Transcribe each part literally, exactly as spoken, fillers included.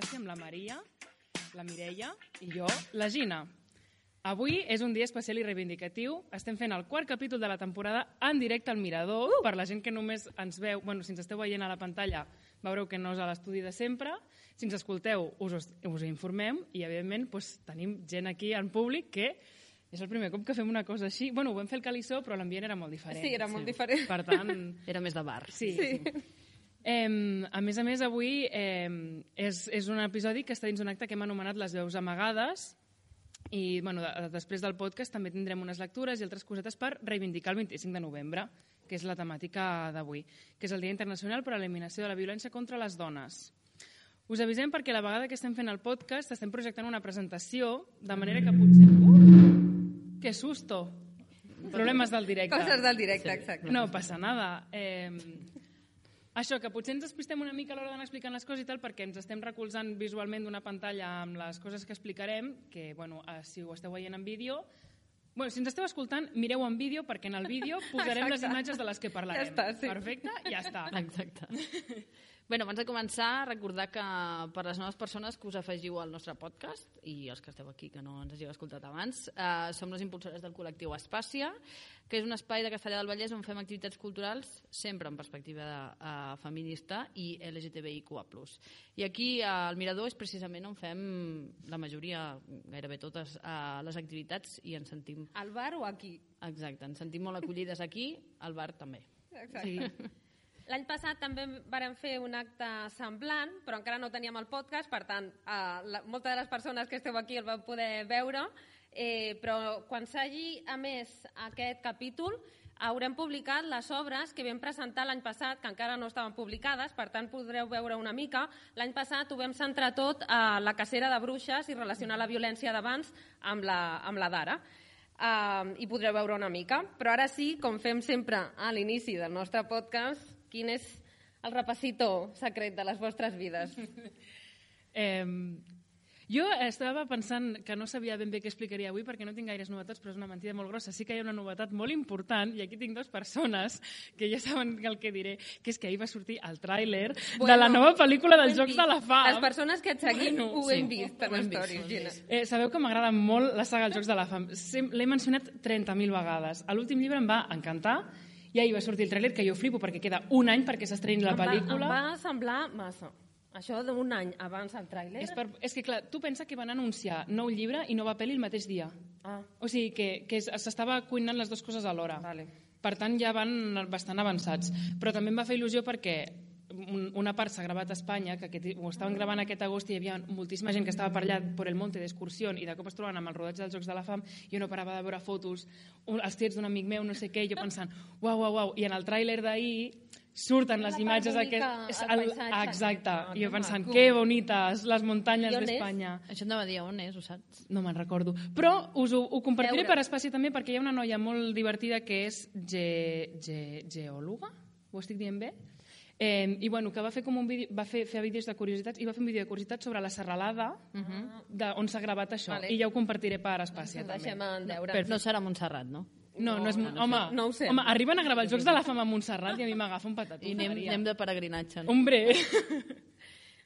Gràcia amb la Maria, la Mireia i jo, la Gina. Avui és un dia especial i reivindicatiu. Estem fent el quart capítol de la temporada en directe al Mirador. Uh! Per la gent que només ens veu, bueno, si ens esteu veient a la pantalla, veureu que no és a l'estudi de sempre. Si ens escolteu, us, us informem i, evidentment, doncs, tenim gent aquí en públic que és el primer cop que fem una cosa així. Bueno, ho vam fer el Calissó, però l'ambient era molt diferent. Sí, era molt sí. diferent. Per tant... Era més de bar. Sí. sí. Eh, a més a més, avui eh, és, és un episodi que està dins un acte que hem anomenat Les veus amagades i bueno, de, després del podcast també tindrem unes lectures i altres cosetes per reivindicar el vint-i-cinc de novembre, que és la temàtica d'avui, que és el Dia Internacional per a l'Eliminació de la Violència contra les Dones. Us avisem perquè la vegada que estem fent el podcast estem projectant una presentació, de manera que potser... Uh, ¡Qué susto! Problemes del directe. Coses del directe, exacte. No passa nada. Eh, això, que potser ens despistem una mica a l'hora d'anar explicant les coses i tal, perquè ens estem recolzant visualment d'una pantalla amb les coses que explicarem, que, bueno, si ho esteu veient en vídeo... Bueno, si ens esteu escoltant, mireu en vídeo, perquè en el vídeo posarem Exacte. Les imatges de les que parlarem. Ja està, sí. Perfecte? Ja està. Exacte. Bueno, abans de començar, recordar que per les noves persones que us afegiu al nostre podcast, i els que esteu aquí que no ens hàgiu escoltat abans, eh, som les impulsores del col·lectiu Espàcia, que és un espai de Castellar del Vallès on fem activitats culturals sempre en perspectiva de, uh, feminista i L G T B I Q A plus. I aquí al Mirador és precisament on fem la majoria, gairebé totes, uh, les activitats i ens sentim... Al bar o aquí? Exacte, ens sentim molt acollides aquí, al bar també. Exacte. Sí. L'any passat també vàrem fer un acte semblant, però encara no teníem el podcast, per tant, eh, la, moltes de les persones que esteu aquí el vau poder veure, eh, però quan s'hagi emès aquest capítol haurem publicat les obres que vam presentar l'any passat, que encara no estaven publicades, per tant podreu veure una mica. L'any passat ho vam centrar tot a la cacera de bruixes i relacionar la violència d'abans amb la, amb la d'ara. Uh, i podreu veure una mica, però ara sí, com fem sempre a l'inici del nostre podcast, quin és el repassito secret de les vostres vides? eh, jo estava pensant que no sabia ben bé què explicaria avui perquè no tinc gaires novetats, però és una mentida molt grossa. Sí que hi ha una novetat molt important, i aquí tinc dues persones que ja saben el que diré, que és que ahir va sortir el tràiler bueno, de la nova pel·lícula dels Jocs de la Fam. Les persones que et seguim bueno, ho sí, hem vist per les stories, Gina. Eh, sabeu que m'agrada molt la saga dels Jocs de la Fam. L'he mencionat trenta mil vegades. A l'últim llibre em va encantar i ahir va sortir el tràiler, que jo flipo perquè queda un any perquè s'estreni la pel·lícula. Em va, em va semblar massa. Això d'un any abans del tràiler... És, per, és que, clar, tu pensa que van anunciar nou llibre i nova pel·li el mateix dia. Ah. O sigui, que, que s'estava cuinant les dues coses alhora. Vale. Per tant, ja van bastant avançats. Però també em va fer il·lusió perquè una part s'ha gravat a Espanya, que aquest, ho estaven gravant aquest agost i hi havia moltíssima gent que estava per allà per el monte d'excursió i de cop es troben amb el rodatge dels Jocs de la Fam i jo no parava de veure fotos, els tiets d'un amic meu, no sé què, i jo pensant, uau, uau, uau, i en el tràiler d'ahir surten les imatges aquest... El paisatge. Exacte, i jo pensant, que bonites les muntanyes d'Espanya. Això em va dir on és, ho saps? No me'n recordo. Però us ho, ho compartiré per Espàcia també perquè hi ha una noia molt divertida que és ge, ge, geòloga, ho estic dient bé? Eh, i bueno, que va fer com un vídeo, va fer, fer vídeos de curiositats i va fer un vídeo de curiositats sobre la serralada uh-huh. de, on s'ha gravat això, vale. I ja ho compartiré per Espàcia també. Deixem en deure. No, no serà Montserrat, no? No, no, és, no, no home, no ho sé. Home, arriben a gravar els Jocs de la Fam a Montserrat i a mi m'agafa un patatú. I anem, anem de peregrinatge. No? Hombre!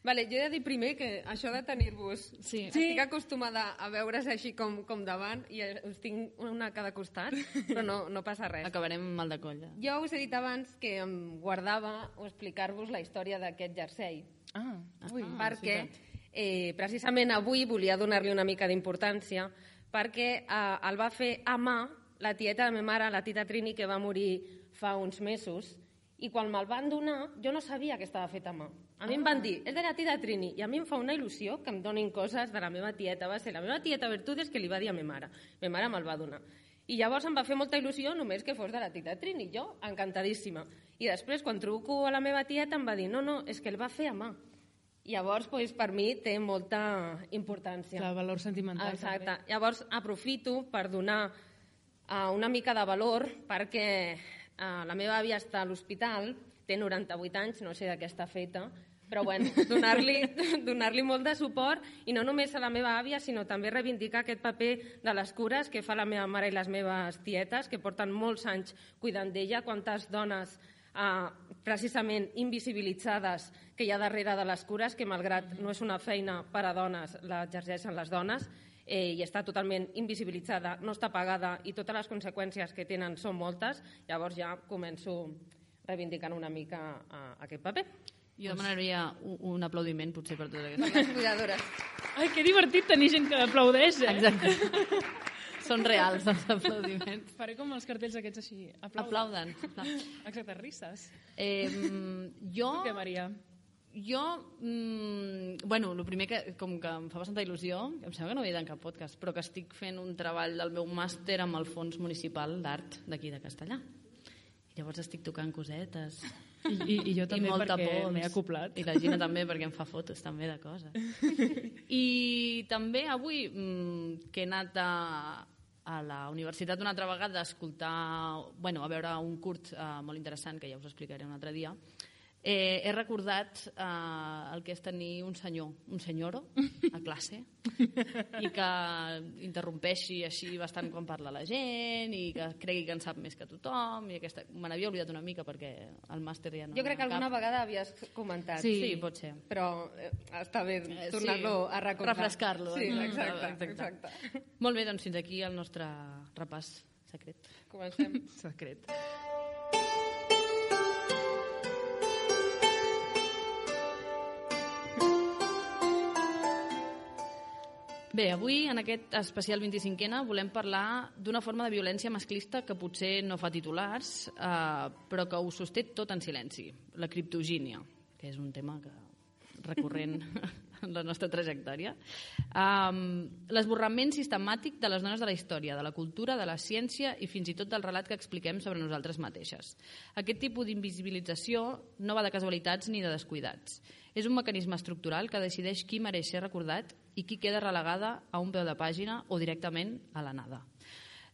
Vale, jo he de dir primer que això de tenir-vos... Sí. Estic acostumada a veure's així com, com davant i us tinc una a cada costat, però no, no passa res. Acabarem mal de colla. Jo us he dit abans que em guardava o explicar-vos la història d'aquest jersei. Ah, ui. Perquè eh, precisament avui volia donar-li una mica d'importància perquè eh, el va fer a mà la tieta de ma mare, la tita Trini, que va morir fa uns mesos, i quan me'l van donar jo no sabia que estava fet a mà. A mi ah. em van dir, és de la tita Trini, i a mi em fa una il·lusió que em donin coses de la meva tieta. Va ser la meva tieta Bertudes que li va dir a ma mare. Ma mare me'l va donar. I llavors em va fer molta il·lusió només que fos de la tita Trini. Jo, encantadíssima. I després, quan truco a la meva tieta, em va dir, no, no, és que el va fer a mà. Llavors, doncs, per mi té molta importància. El valor sentimental. Exacte. També. Llavors, aprofito per donar uh, una mica de valor perquè uh, la meva àvia està a l'hospital, té noranta-vuit anys, no sé de què està feta, però bueno, donar-li donar-li molt de suport i no només a la meva àvia, sinó també reivindicar aquest paper de les cures que fa la meva mare i les meves tietes, que porten molts anys cuidant d'ella. Quantes dones eh, precisament invisibilitzades que hi ha darrere de les cures, que malgrat no és una feina per a dones, l'exerceixen les dones, eh, i està totalment invisibilitzada, no està pagada i totes les conseqüències que tenen són moltes. Llavors ja començo reivindicant una mica uh, aquest paper. Jo demanaria un, un aplaudiment, potser, per totes aquestes. Les cuidadores. Ai, que divertit tenir gent que aplaudeix, eh? Exacte. Són reals, els aplaudiments. Faré com els cartells aquests així. Aplauden. Exacte, risses. Eh, jo... Què, Maria? Jo, mm, bueno, el primer que, com que em fa bastanta il·lusió, em sembla que no ho he dit en cap podcast, però que estic fent un treball del meu màster amb el Fons Municipal d'Art d'aquí de Castellà. I llavors estic tocant cosetes. I, i, i jo també, perquè pols. m'he acoplat. I la Gina també, perquè em fa fotos també de coses. I també avui, mmm, que he anat a, a la universitat una altra vegada a escoltar, bueno, a veure un curt eh, molt interessant, que ja us explicaré un altre dia, eh, he recordat eh, el que és tenir un senyor, un senyoro, a classe, i que interrompeixi així bastant quan parla la gent, i que cregui que en sap més que tothom, i aquesta... me n'havia oblidat una mica perquè el màster ja no... Jo crec que alguna vegada havies comentat. Sí, sí, pot ser. Però eh, està bé tornar-lo sí, a recordar. Refrescar-lo. Sí, Mm, exacte, exacte. exacte. Molt bé, doncs fins aquí el nostre repàs secret. Comencem. Secret. Bé, avui, en aquest especial vint-i-cinquena, volem parlar d'una forma de violència masclista que potser no fa titulars, eh, però que ho sosté tot en silenci, la criptogínia, que és un tema que recurrent en la nostra trajectòria. Um, l'esborrament sistemàtic de les dones de la història, de la cultura, de la ciència i fins i tot del relat que expliquem sobre nosaltres mateixes. Aquest tipus d'invisibilització no va de casualitats ni de descuidats. És un mecanisme estructural que decideix qui mereix ser recordat i qui queda relegada a un peu de pàgina o directament a la nada.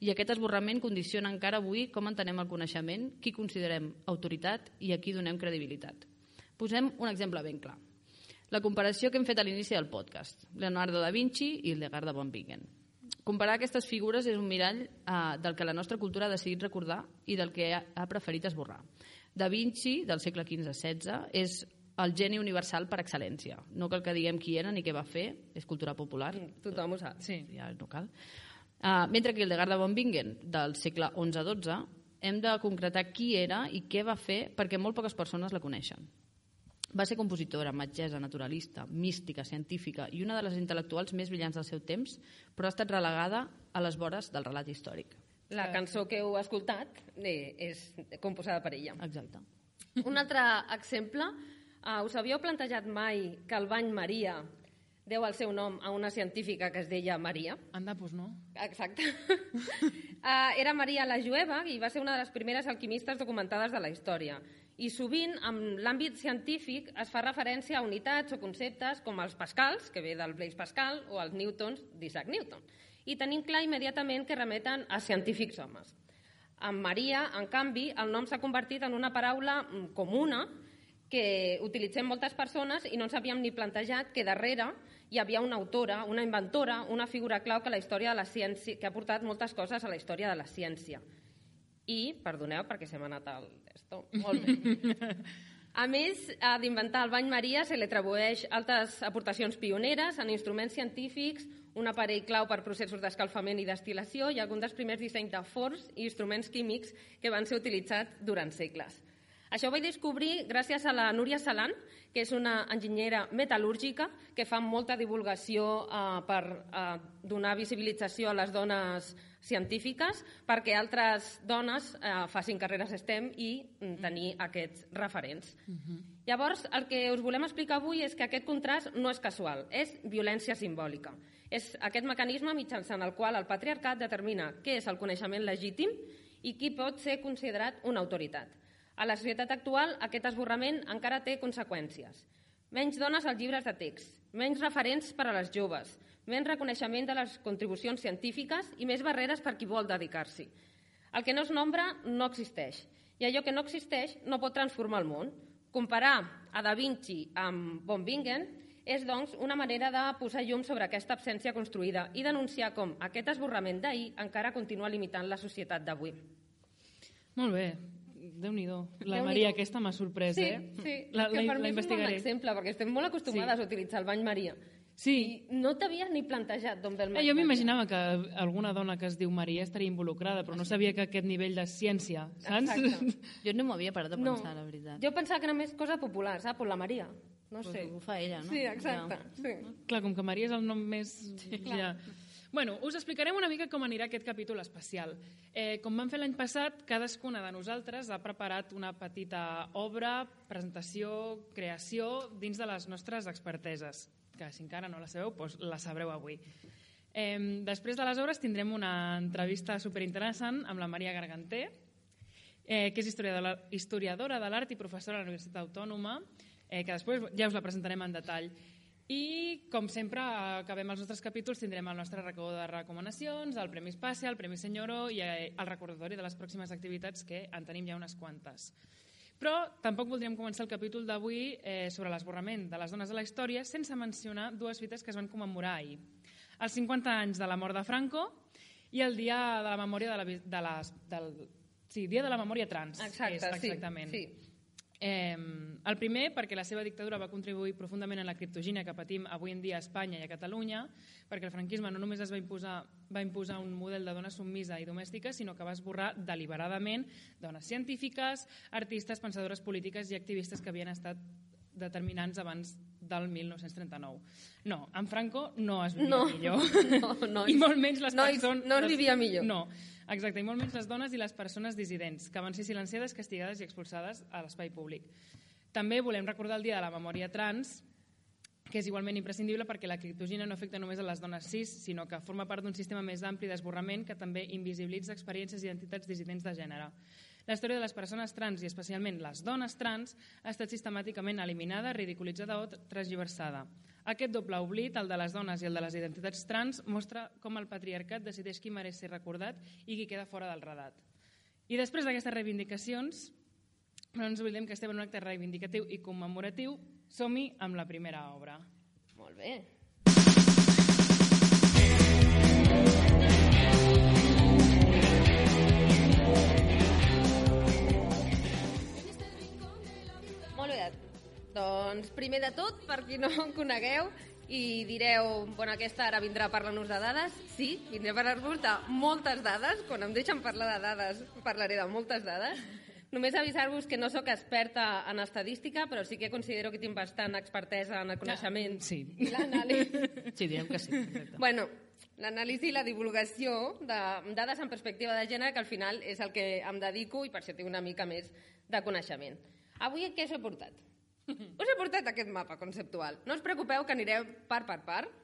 I aquest esborrament condiciona encara avui com entenem el coneixement, qui considerem autoritat i a qui donem credibilitat. Posem un exemple ben clar. La comparació que hem fet a l'inici del podcast, Leonardo da Vinci i Hildegard von Bingen. Comparar aquestes figures és un mirall eh, del que la nostra cultura ha decidit recordar i del que ha, ha preferit esborrar. Da Vinci, del segle quinze setze, és el geni universal per excel·lència. No cal que diguem qui era ni què va fer, és cultura popular. Tothom ho sap. Sí, ja no cal. Uh, mentre que Hildegard von Bingen, del segle onze dotze, hem de concretar qui era i què va fer perquè molt poques persones la coneixen. Va ser compositora, metgessa, naturalista, mística, científica i una de les intel·lectuals més brillants del seu temps, però ha estat relegada a les vores del relat històric. La cançó que heu escoltat eh, és composada per ella. Exacte. Un altre exemple, uh, us havíeu plantejat mai que el bany Maria deu el seu nom a una científica que es deia Maria? Anda, doncs no. Exacte. uh, era Maria la Jueva i va ser una de les primeres alquimistes documentades de la història. I sovint, en l'àmbit científic, es fa referència a unitats o conceptes com els pascals, que ve del Blaise Pascal, o els newtons d'Isaac Newton. I tenim clar immediatament que remeten a científics homes. En Maria, en canvi, el nom s'ha convertit en una paraula comuna que utilitzem moltes persones i no ens havíem ni plantejat que darrere hi havia una autora, una inventora, una figura clau que, la història de la ciència, que ha portat moltes coses a la història de la ciència. I, perdoneu, perquè se m'ha anat el... Esto. Molt bé. A més d'inventar el bany Maria, se li atribueix altres aportacions pioneres en instruments científics, un aparell clau per processos d'escalfament i destil·lació i algun dels primers dissenys de forns i instruments químics que van ser utilitzats durant segles. Això ho vaig descobrir gràcies a la Núria Salan, que és una enginyera metal·lúrgica que fa molta divulgació eh, per eh, donar visibilització a les dones científiques perquè altres dones eh, facin carreres STEM i mm, tenir aquests referents. Uh-huh. Llavors, el que us volem explicar avui és que aquest contrast no és casual, és violència simbòlica. És aquest mecanisme mitjançant el qual el patriarcat determina què és el coneixement legítim i qui pot ser considerat una autoritat. A la societat actual, aquest esborrament encara té conseqüències. Menys dones als llibres de text, menys referents per a les joves, menys reconeixement de les contribucions científiques i més barreres per qui vol dedicar-s'hi. El que no es nombra no existeix, i allò que no existeix no pot transformar el món. Comparar a Da Vinci amb von Bingen és, doncs, una manera de posar llum sobre aquesta absència construïda i denunciar com aquest esborrament d'ahir encara continua limitant la societat d'avui. Molt bé. Déu-n'hi-do. La Déu-n'hi-do. Maria aquesta m'ha sorprès, Sí, eh? sí, La, que la, per la mi és un bon investigaré. exemple, perquè estem molt acostumades Sí. a utilitzar el bany Maria. Sí. I no t'havies ni plantejat d'on ve el Eh, bany jo Maria. m'imaginava que alguna dona que es diu Maria estaria involucrada, però no sabia que aquest nivell de ciència, saps? Exacte. Jo no m'ho havia parat de No, pensar, la veritat. jo pensava que era més cosa popular, saps? Per la Maria. No Pues sé. ho fa ella, no? Sí, exacte. Sí. Clar, com que Maria és el nom més... Ja. Bueno, us explicarem una mica com anirà aquest capítol especial. Eh, com vam fer l'any passat, cadascuna de nosaltres ha preparat una petita obra, presentació, creació, dins de les nostres experteses, que si encara no la sabeu, doncs la sabreu avui. Eh, després de les obres tindrem una entrevista superinteressant amb la Maria Garganter, eh, que és historiadora, historiadora de l'art i professora a la Universitat Autònoma, eh, que després ja us la presentarem en detall. I, com sempre, acabem els nostres capítols, tindrem el nostre racó de recomanacions, el Premi Espàcia, el Premi Senyoro i el recordatori de les pròximes activitats, que en tenim ja unes quantes. Però tampoc voldríem començar el capítol d'avui eh, sobre l'esborrament de les dones de la història sense mencionar dues fites que es van commemorar ahir. Els cinquanta anys de la mort de Franco i el dia de la memòria de la, de les, del, sí, dia de la memòria trans. Exacte, és, exactament. sí. sí. Eh, el primer, perquè la seva dictadura va contribuir profundament a la criptogínia que patim avui en dia a Espanya i a Catalunya, perquè el franquisme no només es va imposar, va imposar un model de dona submisa i domèstica, sinó que va esborrar deliberadament dones científiques, artistes, pensadores polítiques i activistes que havien estat determinants abans del mil nou-cents trenta-nou. No, en Franco no es vivia No, millor. no, no. I molt menys les No, persones... no es vivia millor. No, exacte, i molt menys les dones i les persones dissidents, que van ser silenciades, castigades i expulsades a l'espai públic. També volem recordar el dia de la memòria trans, que és igualment imprescindible perquè la criptogínia no afecta només a les dones cis, sinó que forma part d'un sistema més ampli d'esborrament que també invisibilitza experiències i identitats dissidents de gènere. La història de les persones trans, i especialment les dones trans, ha estat sistemàticament eliminada, ridiculitzada o transgiversada. Aquest doble oblit, el de les dones i el de les identitats trans, mostra com el patriarcat decideix qui mereix ser recordat i qui queda fora del redat. I després d'aquestes reivindicacions, no ens oblidem que estem en un acte reivindicatiu i commemoratiu, som-hi amb la primera obra. Molt bé. Molt bé. Doncs primer de tot, per qui no em conegueu, i direu, bueno, aquesta ara vindrà a parlar-nos de dades. Sí, vindré a parlar-vos de moltes dades. Quan em deixen parlar de dades, parlaré de moltes dades. Només avisar-vos que no sóc experta en estadística, però sí que considero que tinc bastant expertesa en el coneixement Sí. i l'anàlisi. Sí, direm que sí. Exacte. Bueno, l'anàlisi i la divulgació de dades en perspectiva de gènere, que al final és el que em dedico i per això tinc una mica més de coneixement. Avui què us he portat? Us he portat aquest mapa conceptual. No us preocupeu que anireu part per part.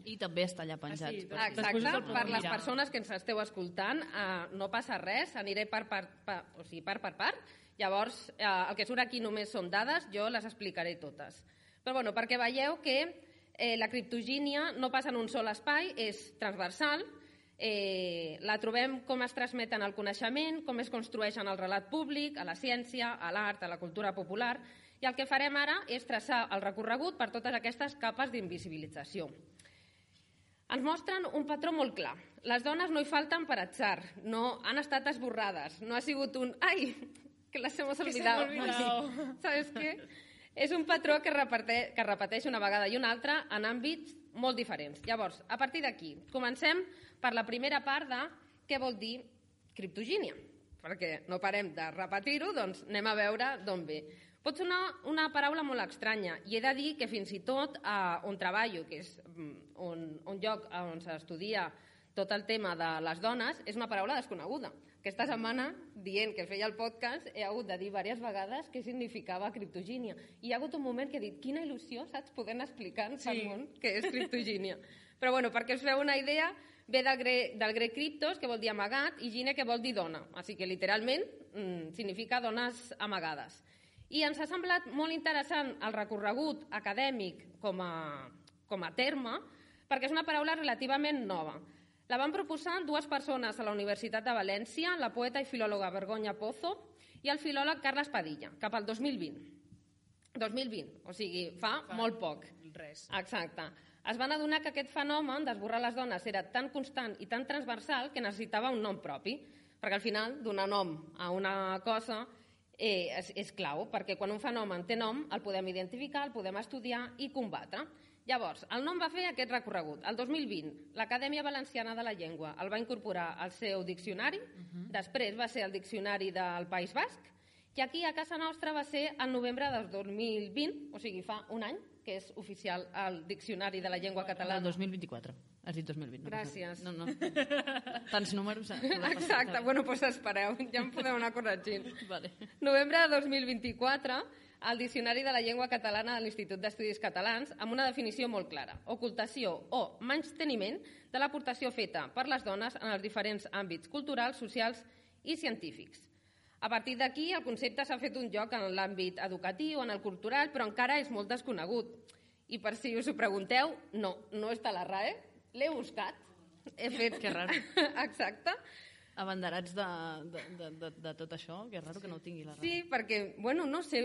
I també està allà penjat. Ah, sí, per si. Després Exacte, us el podeu per les mirar. persones que ens esteu escoltant, eh, no passa res, aniré part per part, o sigui, part per part. Llavors, eh, el que surt aquí només són dades, jo les explicaré totes. Però bueno, perquè veieu que eh, la criptogínia no passa en un sol espai, és transversal, eh, la trobem com es transmet en el coneixement, com es construeix en el relat públic, a la ciència, a l'art, a la cultura popular, i el que farem ara és traçar el recorregut per totes aquestes capes d'invisibilització. Ens mostren un patró molt clar. Les dones no hi falten per atzar, no han estat esborrades, no ha sigut un «ai, que les hemos Que se olvidado». m'ha olvidado. ¿Sabes què? És un patró que repeteix, que repeteix una vegada i una altra en àmbits molt diferents. Llavors, a partir d'aquí, comencem per la primera part de què vol dir criptogínia. Perquè no parem de repetir-ho, doncs anem a veure d'on ve. Pot sonar una paraula molt estranya i he de dir que fins i tot eh, on treballo, que és un, un lloc on s'estudia tot el tema de les dones, és una paraula desconeguda. Aquesta setmana, dient que feia el podcast, he hagut de dir diverses vegades què significava criptogínia. I hi ha hagut un moment que he dit, quina il·lusió, saps, podent explicar-nos Sí. al món què és criptogínia. Però bueno, perquè us feu una idea, ve del grec, del grec criptos, que vol dir amagat, i gine, que vol dir dona. Així que literalment mm, significa dones amagades. I ens ha semblat molt interessant el recorregut acadèmic com a, com a terme, perquè és una paraula relativament nova. La van proposar dues persones a la Universitat de València, la poeta i filòloga Vergonya Pozo i el filòleg Carles Padilla, cap al dos mil vint. dos mil vint, o sigui, fa, fa molt poc. Res. Exacte. Es van adonar que aquest fenomen d'esborrar les dones era tan constant i tan transversal que necessitava un nom propi. perquè al final donar nom a una cosa eh, és, és clau, perquè quan un fenomen té nom el podem identificar, el podem estudiar i combatre. Llavors, el nom va fer aquest recorregut. El dos mil vint, l'Acadèmia Valenciana de la Llengua el va incorporar al seu diccionari, uh-huh. després va ser el diccionari del País Basc, i aquí a casa nostra va ser el novembre del dos mil vint, o sigui, fa un any, que és oficial el Diccionari de la Llengua Catalana. El dos mil vint-i-quatre. Has dit dos mil vint. No Gràcies. No, no. Tants números. Exacte. Bueno, doncs espereu, ja em podeu anar corregint. Vale. Novembre de dos mil vint-i-quatre, el Diccionari de la Llengua Catalana de l'Institut d'Estudis Catalans, amb una definició molt clara. Ocultació o menysteniment de l'aportació feta per les dones en els diferents àmbits culturals, socials i científics. A partir d'aquí, el concepte s'ha fet un lloc en l'àmbit educatiu, en el cultural, però encara és molt desconegut. I per si us ho pregunteu, no, no està a la RAE, l'he buscat. He fet... Que raro. Exacte. Abanderats de, de, de, de, de tot això, que és raro que no ho tingui la RAE. Sí, perquè, bueno, no sé,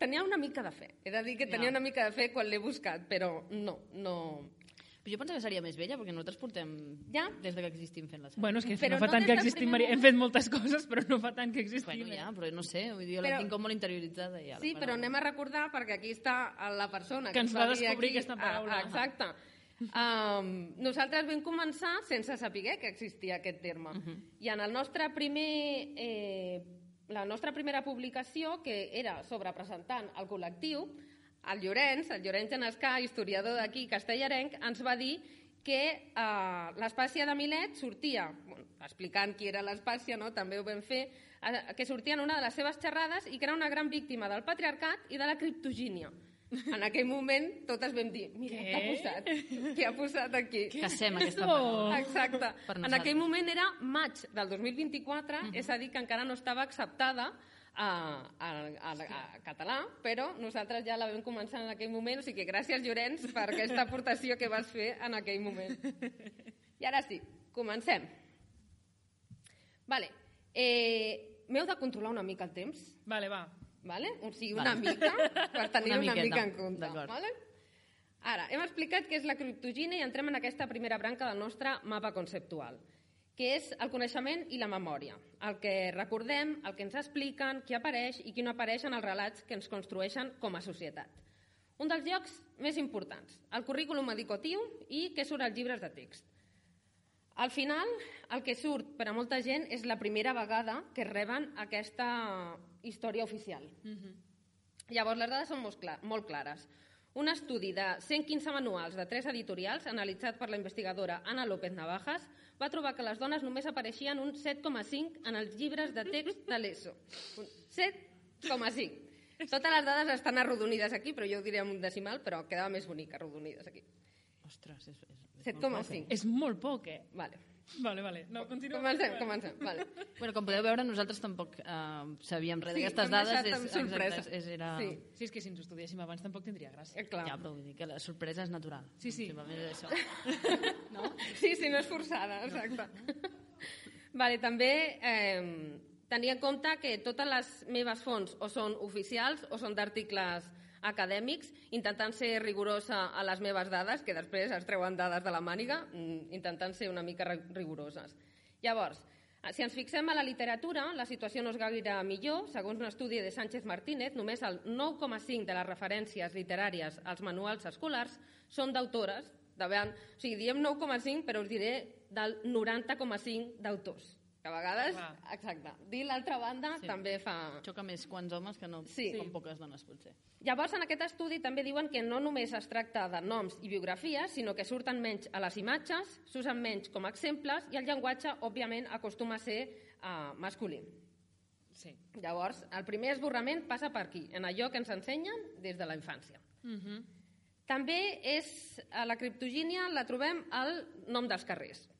tenia una mica de fe. He de dir que tenia Ja. una mica de fe quan l'he buscat, però no, no... Però jo penso que seria més vella, perquè nosaltres portem Ja. des de que existim fent la sèrie. Bueno, és que Però no fa no tant des que del existim, primer Maria. Hem moment. fet moltes coses, però no fa tant que existim. Bueno, ja, però no sé, vull dir, jo Però- la tinc com molt interioritzada. Ja, Sí, però anem a recordar, perquè aquí està la persona Que ens ens va dir descobrir aquí- aquesta paraula. Ah, exacte. Um, nosaltres vam començar sense saber que existia aquest terme. Uh -huh. I en el nostre primer, eh, la nostra primera publicació, que era sobre presentant el col·lectiu, el Llorenç, el Llorenç Genescà, historiador d'aquí, castellarenc, ens va dir que eh, l'Espàcia de Milet sortia, bueno, explicant qui era l'Espàcia, no? També ho vam fer, eh, que sortia en una de les seves xerrades i que era una gran víctima del patriarcat i de la criptogínia. En aquell moment totes vam dir, mira, què, què ha posat? Què ha posat aquí? Cacem aquesta esto? paraula. Exacte. Per En nosaltres. aquell moment era maig del dos mil vint-i-quatre, uh -huh. és a dir, que encara no estava acceptada a, a, a, a català, però nosaltres ja la vam començar en aquell moment, o sigui que gràcies, Llorenç, per aquesta aportació que vas fer en aquell moment. I ara sí, comencem. Vale. Eh, M'heu de controlar una mica el temps, Vale, va. vale? O sigui, una Vale. mica, per tenir Una una, miqueta, mica en compte. d'acord. Vale? Ara, hem explicat què és la criptogínia i entrem en aquesta primera branca del nostre mapa conceptual, que és el coneixement i la memòria, el que recordem, el que ens expliquen, qui apareix i qui no apareix en els relats que ens construeixen com a societat. Un dels llocs més importants, el currículum educatiu i què surt als llibres de text. Al final, el que surt per a molta gent és la primera vegada que reben aquesta història oficial. Uh-huh. Llavors, les dades són molt, clar, molt clares. Un estudi de cent quinze manuals de tres editorials, analitzat per la investigadora Ana López Navajas, va trobar que les dones només apareixien un set coma cinc en els llibres de text de l'ESO. Un set coma cinc. Totes les dades estan arrodonides aquí, però jo ho diré en un decimal, però quedava més bonic arrodonides aquí. Ostres, és, és, és set molt coma poc, eh? cinc. És molt poc, eh? Vale. Vale, vale. No, continua. Comencem, comencem. Vale. Bueno, com podeu veure, nosaltres tampoc eh, sabíem res Sí, d'aquestes hem dades. deixat És, amb sorpresa. exacte, és, és, era... Sí. Sí, és que si ens ho estudiéssim abans tampoc tindria gràcia. Eh, clar. Ja, però vull dir que la sorpresa és natural. Sí, sí. Simplement és això. No? Sí, sí, no és forçada, exacte. Vale, també eh, tenir en compte que totes les meves fonts o són oficials o són d'articles acadèmics, intentant ser rigorosa a les meves dades, que després es treuen dades de la màniga, intentant ser una mica rigoroses. Llavors, si ens fixem a la literatura, la situació no és gaire millor. Segons un estudi de Sánchez Martínez, només el nou coma cinc de les referències literàries als manuals escolars són d'autores. De veure, o sigui, diem nou coma cinc, però us diré del noranta coma cinc d'autors. Que a vegades, Clar. exacte, dir l'altra banda Sí. també fa... Xoca més quants homes que no Sí. com poques dones, potser. Llavors, en aquest estudi també diuen que no només es tracta de noms i biografies, sinó que surten menys a les imatges, s'usen menys com a exemples i el llenguatge, òbviament, acostuma a ser uh, masculí. Sí. Llavors, el primer esborrament passa per aquí, en allò que ens ensenyen des de la infància. Uh -huh. També és, a la criptogínia la trobem al nom dels carrers.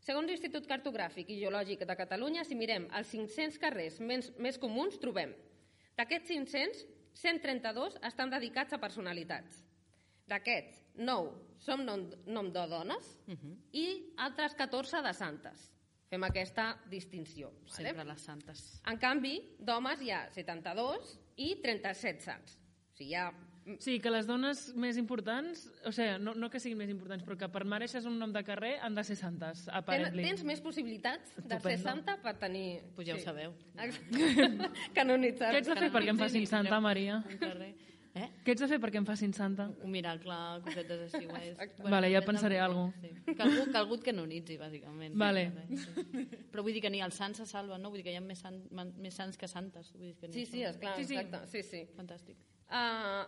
Segons l'Institut Cartogràfic i Geològic de Catalunya, si mirem els cinc-cents carrers més, més comuns, trobem d'aquests cinc-cents, cent trenta-dos estan dedicats a personalitats. D'aquests, nou són nom, nom de dones uh -huh. i altres catorze de santes. Fem aquesta distinció. Sempre Vale? les santes. En canvi, d'homes hi ha setanta-dos i trenta-set sants. O sigui, hi ha Sí, que les dones més importants, o sigui, no, no que siguin més importants, però que per mereixes un nom de carrer han de ser santes, Ten, aparently. tens més possibilitats de ser Estupendo. santa per tenir... Pues ja ho sabeu. Canonitzar. Què ets de fer perquè em facin santa, Maria? Un carrer. Eh? Què ets de fer perquè em facin santa? Un miracle, cosetes així. Guais. Vale, ja pensaré alguna sí. Que algú, que algú et canonitzi, bàsicament. Vale. Sí. Però vull dir que ni els sants se salven, no? Vull dir que hi ha més, sant, més sants que santes. Vull dir que Sí, sí, esclar, Sí, sí. exacte. Sí, sí. Fantàstic. Uh,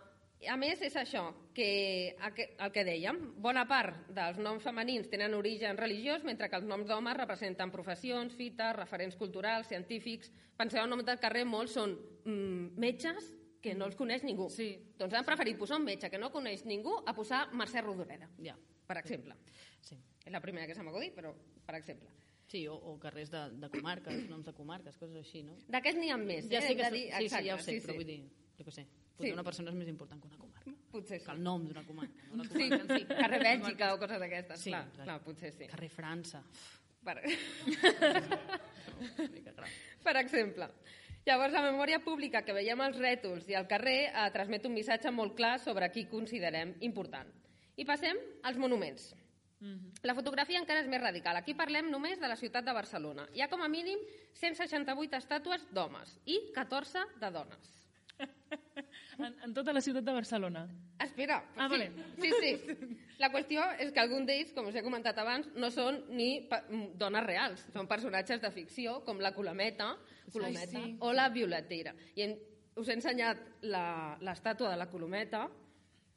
a més, és això, que el que dèiem, bona part dels noms femenins tenen origen religiós, mentre que els noms d'homes representen professions, fites, referents culturals, científics. Penseu en noms del carrer, molts són mm, metges que no els coneix ningú. Sí. Doncs han preferit posar un metge que no coneix ningú a posar Mercè Rodoreda, Ja. per exemple. Sí. És la primera que se m'ha acudit, però per exemple. Sí, o, o carrers de, de comarques, noms de comarques, coses així, no? D'aquests n'hi ha més. Ja eh? sé que Hem de dir- sí, sí, exacte, ja ho sé, sí, però sí. vull dir, jo què sé, potser Sí. una persona és més important que una comarca. Potser Que sí. el nom d'una comarca. No? La Sí, comarca en si. carrer Bèlgica o coses d'aquestes. Sí, clar, exacte. clar, potser sí. Carrer França. Per... Una mica gran. per exemple. Llavors, la memòria pública que veiem als rètols i al carrer eh, transmet un missatge molt clar sobre qui considerem important. I passem als monuments. Mm-hmm. La fotografia encara és més radical. Aquí parlem només de la ciutat de Barcelona. Hi ha com a mínim cent seixanta-vuit estàtues d'homes i catorze de dones. En, en tota la ciutat de Barcelona. Espera, Ah, sí, vale. sí, sí. La qüestió és que algun d'ells, com us he comentat abans, no són ni pa- dones reals, són personatges de ficció, com la Colometa, Colometa sí. o la Violetera. I hem, us he ensenyat la- l'estàtua de la Colometa.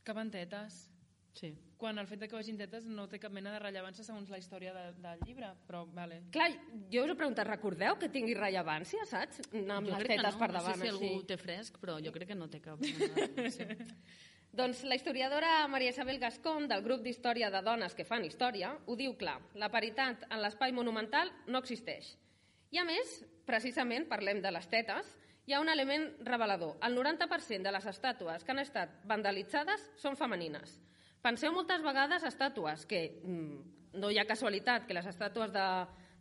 Que van tetes. Sí. Quan el fet de que vagin tetes no té cap mena de rellevància segons la història de, del llibre, però vale. Clar, jo us he preguntat, recordeu que tingui rellevància, saps? Anar amb Jo les crec que tetes no, per no davant, sé si algú així. té fresc, però jo crec que no té cap... Sí. Doncs la historiadora Maria Isabel Gascón, del grup d'història de dones que fan història, ho diu clar, la paritat en l'espai monumental no existeix. I a més, precisament, parlem de les tetes, hi ha un element revelador. El noranta per cent de les estàtues que han estat vandalitzades són femenines. Penseu moltes vegades estàtues que mm, no hi ha casualitat que les estàtues de,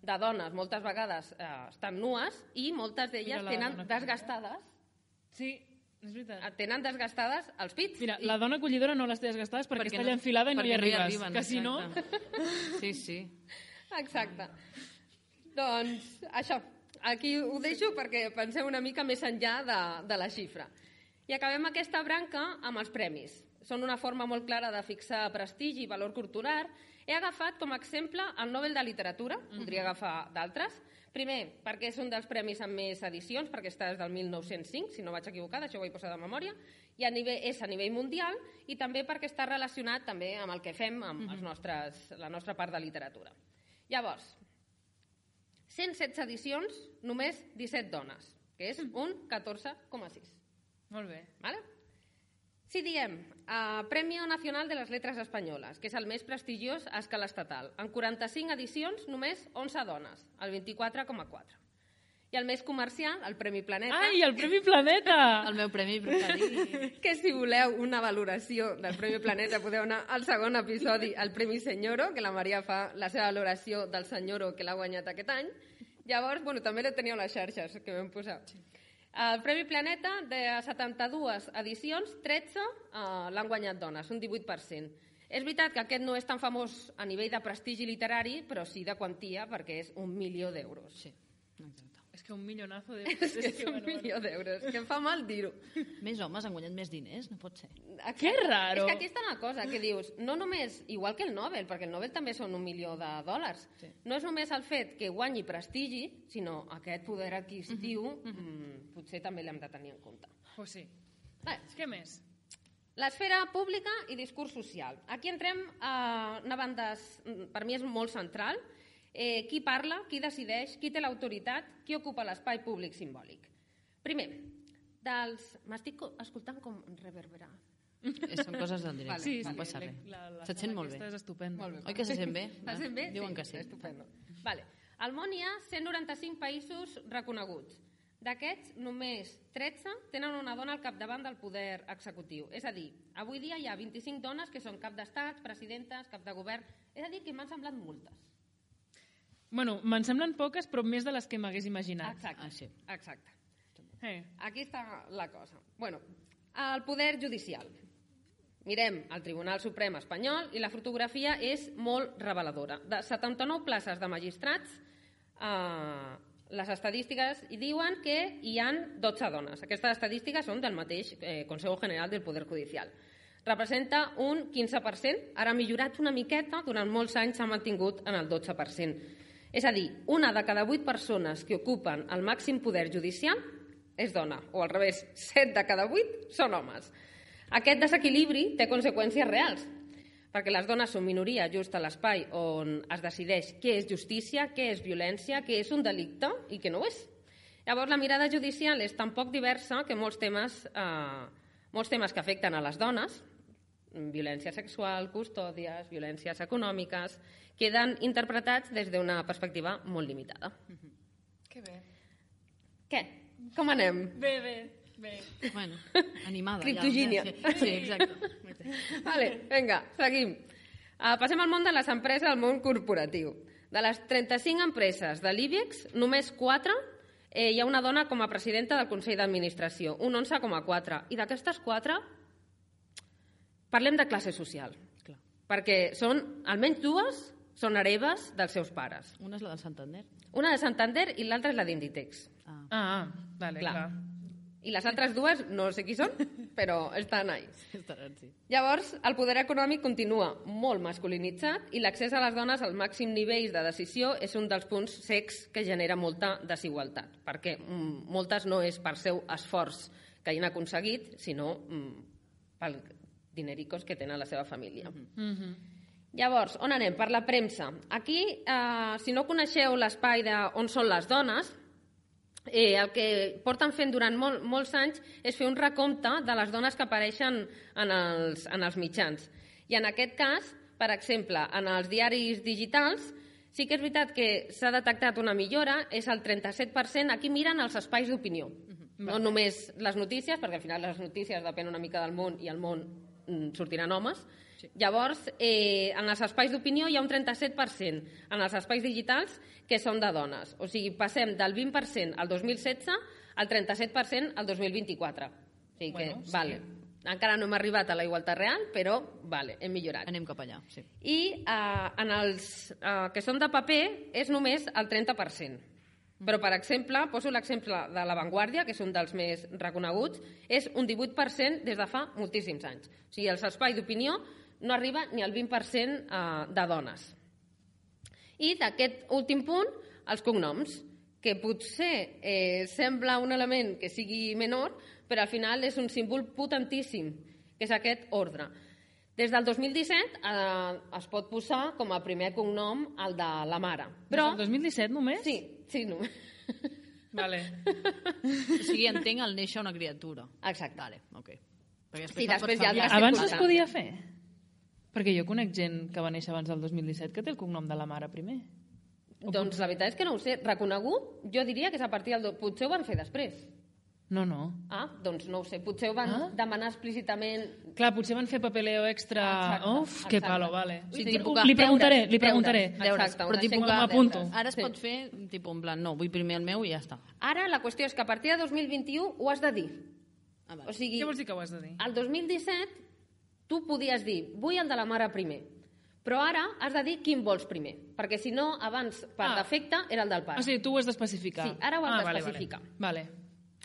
de dones moltes vegades eh, estan nues i moltes d'elles Mira la tenen dona que- desgastades Sí, és veritat. tenen desgastades els pits. Mira, la dona acollidora no les té desgastades perquè, Perquè està allà enfilada i no hi perquè arribes. arriben, que si no... exacte. Sí, sí. Exacte. Doncs això, aquí ho deixo perquè penseu una mica més enllà de, de la xifra. I acabem aquesta branca amb els premis. Són una forma molt clara de fixar prestigi i valor cultural. He agafat com a exemple el Nobel de Literatura, podria agafar d'altres. Primer, perquè és un dels premis amb més edicions, perquè està des del mil nou-cents cinc, si no vaig equivocada, això ho vaig posar de memòria, i a nivell, és a nivell mundial, i també perquè està relacionat també amb el que fem, amb els nostres, la nostra part de literatura. Llavors, cent setze edicions, només disset dones, que és un catorze coma sis. Molt bé. ¿Vale? Si diem eh, Premio Nacional de les Letres Espanyoles, que és el més prestigiós a escala estatal, en quaranta-cinc edicions només onze dones, el vint-i-quatre coma quatre. I el més comercial, el Premi Planeta, Ai, el Premi Planeta! El meu premi preferit. que si voleu una valoració del Premi Planeta podeu anar al segon episodi, el Premi Senyoro, que la Maria fa la seva valoració del Senyoro que l'ha guanyat aquest any. Llavors, bueno, també la teniu a les xarxes que vam posar. El Premi Planeta, de setanta-dues edicions, tretze eh, l'han guanyat dones, un divuit per cent. És veritat que aquest no és tan famós a nivell de prestigi literari, però sí de quantia, perquè és un milió d'euros. Sí, exacte. És que un millonazo de... És que és un milió d'euros, que em fa mal dir-ho. Més homes han guanyat més diners? No pot ser. Exacte. Que raro. És que aquí està una cosa, que dius, no només, igual que el Nobel, perquè el Nobel també són un milió de dòlars, Sí. no és només el fet que guanyi prestigi, sinó aquest poder adquisitiu, mm-hmm. mm, potser també l'hem de tenir en compte. Pues sí. Bé, Què més? l'esfera pública i discurs social. Aquí entrem a una banda, per mi és molt central, eh, qui parla, qui decideix, qui té l'autoritat, qui ocupa l'espai públic simbòlic. Primer, dels... M'estic escoltant com reverberar. Eh, Són coses del directe, Sí, no sí, passa la- res. la- la Se't sala sent molt aquesta bé. és estupenda. Molt bé. Oi que se sent bé? Se sent bé? Diuen que sí. Estupendo. Vale. Al món hi ha cent noranta-cinc països reconeguts. D'aquests, només tretze tenen una dona al capdavant del poder executiu. És a dir, avui dia hi ha vint-i-cinc dones que són cap d'estats, presidentes, cap de govern. És a dir, que m'han semblat moltes. Bueno, me'n semblen poques, però més de les que m'hagués imaginat. Exacte. Ah, sí. Exacte. Eh. Aquí està la cosa. Bueno, el poder judicial. Mirem el Tribunal Suprem espanyol i la fotografia és molt reveladora. De setanta-nou places de magistrats, eh, les estadístiques hi diuen que hi ha dotze dones. Aquestes estadístiques són del mateix eh, Consejo General del Poder Judicial. Representa un quinze per cent, ara ha millorat una miqueta, durant molts anys s'ha mantingut en el dotze per cent. És a dir, una de cada vuit persones que ocupen el màxim poder judicial és dona, o al revés, set de cada vuit són homes. Aquest desequilibri té conseqüències reals, perquè les dones són minoria just a l'espai on es decideix què és justícia, què és violència, què és un delicte i què no ho és. Llavors, la mirada judicial és tan poc diversa que molts temes, eh, molts temes que afecten a les dones, violència sexual, custòdies, violències econòmiques, queden interpretats des d'una perspectiva molt limitada. Que bé. Què? Com anem? Bé, bé, bé. Bueno, animada. Criptogínia. Ja, sí, sí, exacte. Vale, vinga, seguim. Uh, passem al món de les empreses, al món corporatiu. De les trenta-cinc empreses de l'IBEX, només quatre eh, hi ha una dona com a presidenta del Consell d'Administració, un onze coma quatre. I d'aquestes quatre, parlem de classe social. Clar. Perquè són, almenys dues, són hereves dels seus pares. Una és la del Santander. Una de Santander i l'altra és la d'Inditex. Ah. Ah, vale, clar. Clar. I les altres dues no sé qui són, però estan ahí. Estaran, sí. Llavors, el poder econòmic continua molt masculinitzat i l'accés a les dones al màxim nivell de decisió és un dels punts cecs que genera molta desigualtat, perquè mm, moltes no és per seu esforç que hagin aconseguit, sinó mm, pel dinericos que tenen la seva família. Mhm. Llavors, on anem? Per la premsa. Aquí, eh, si no coneixeu l'espai on són les dones, eh, el que porten fent durant mol, molts anys és fer un recompte de les dones que apareixen en els, en els mitjans. I en aquest cas, per exemple, en els diaris digitals, sí que és veritat que s'ha detectat una millora, és el trenta-set per cent. Aquí miren els espais d'opinió, uh-huh. no només les notícies, perquè al final les notícies depèn una mica del món i al món mm, sortiran homes. Sí. Llavors, eh, en els espais d'opinió hi ha un trenta-set per cent, en els espais digitals que són de dones. O sigui, passem del vint per cent al dos mil setze al trenta-set per cent al dos mil vint-i-quatre. O sigui que, bueno, sí. vale. Encara no hem arribat a la igualtat real, però vale, hem millorat. Anem cap allà, sí. I eh, en els eh, que són de paper és només el trenta per cent. Però, per exemple, poso l'exemple de La Vanguardia, que és un dels més reconeguts, és un divuit per cent des de fa moltíssims anys. O sigui, els espais d'opinió no arriba ni al vint per cent eh, de dones. I d'aquest últim punt, els cognoms, que potser eh, sembla un element que sigui menor, però al final és un símbol potentíssim, que és aquest ordre. Des del dos mil disset eh, es pot posar com a primer cognom el de la mare. Però... Des del dos mil disset només? Sí, sí, només. Vale. O sigui, entenc el néixer una criatura. Exacte. Vale, ok. Perquè Sí, se'l després pot hi ha canviar. altres Abans es circumstàncies. podia fer? Perquè jo conec gent que va néixer abans del dos mil disset que té el cognom de la mare primer. Doncs la veritat és que no ho sé. Reconegut, jo diria que és a partir del... Potser ho van fer després. No, no. Ah, doncs no ho sé. Potser ho van Ah? demanar explícitament... Clar, potser van fer papeleo extra... Exacte, Uf, que exacte. palo, vale. Sí, Li- tipus li que- preguntaré, deures, li preguntaré. deures. Deures, Exacte, però una tipus xeca que de m'apunto. deures. Ara es Sí. pot fer, tipus, en plan, no, vull primer el meu i ja està. Ara la qüestió és que a partir de dos mil vint-i-u ho has de dir. Ah, vale. O sigui, Què vols dir que ho has de dir? al dos mil disset tu podies dir vull el de la mare primer, però ara has de dir quin vols primer, perquè si no, abans, per Ah. defecte, era el del pare. O sigui, tu ho has d'especificar. Sí, ara ho has ah, vale, d'especificar. Vale, vale.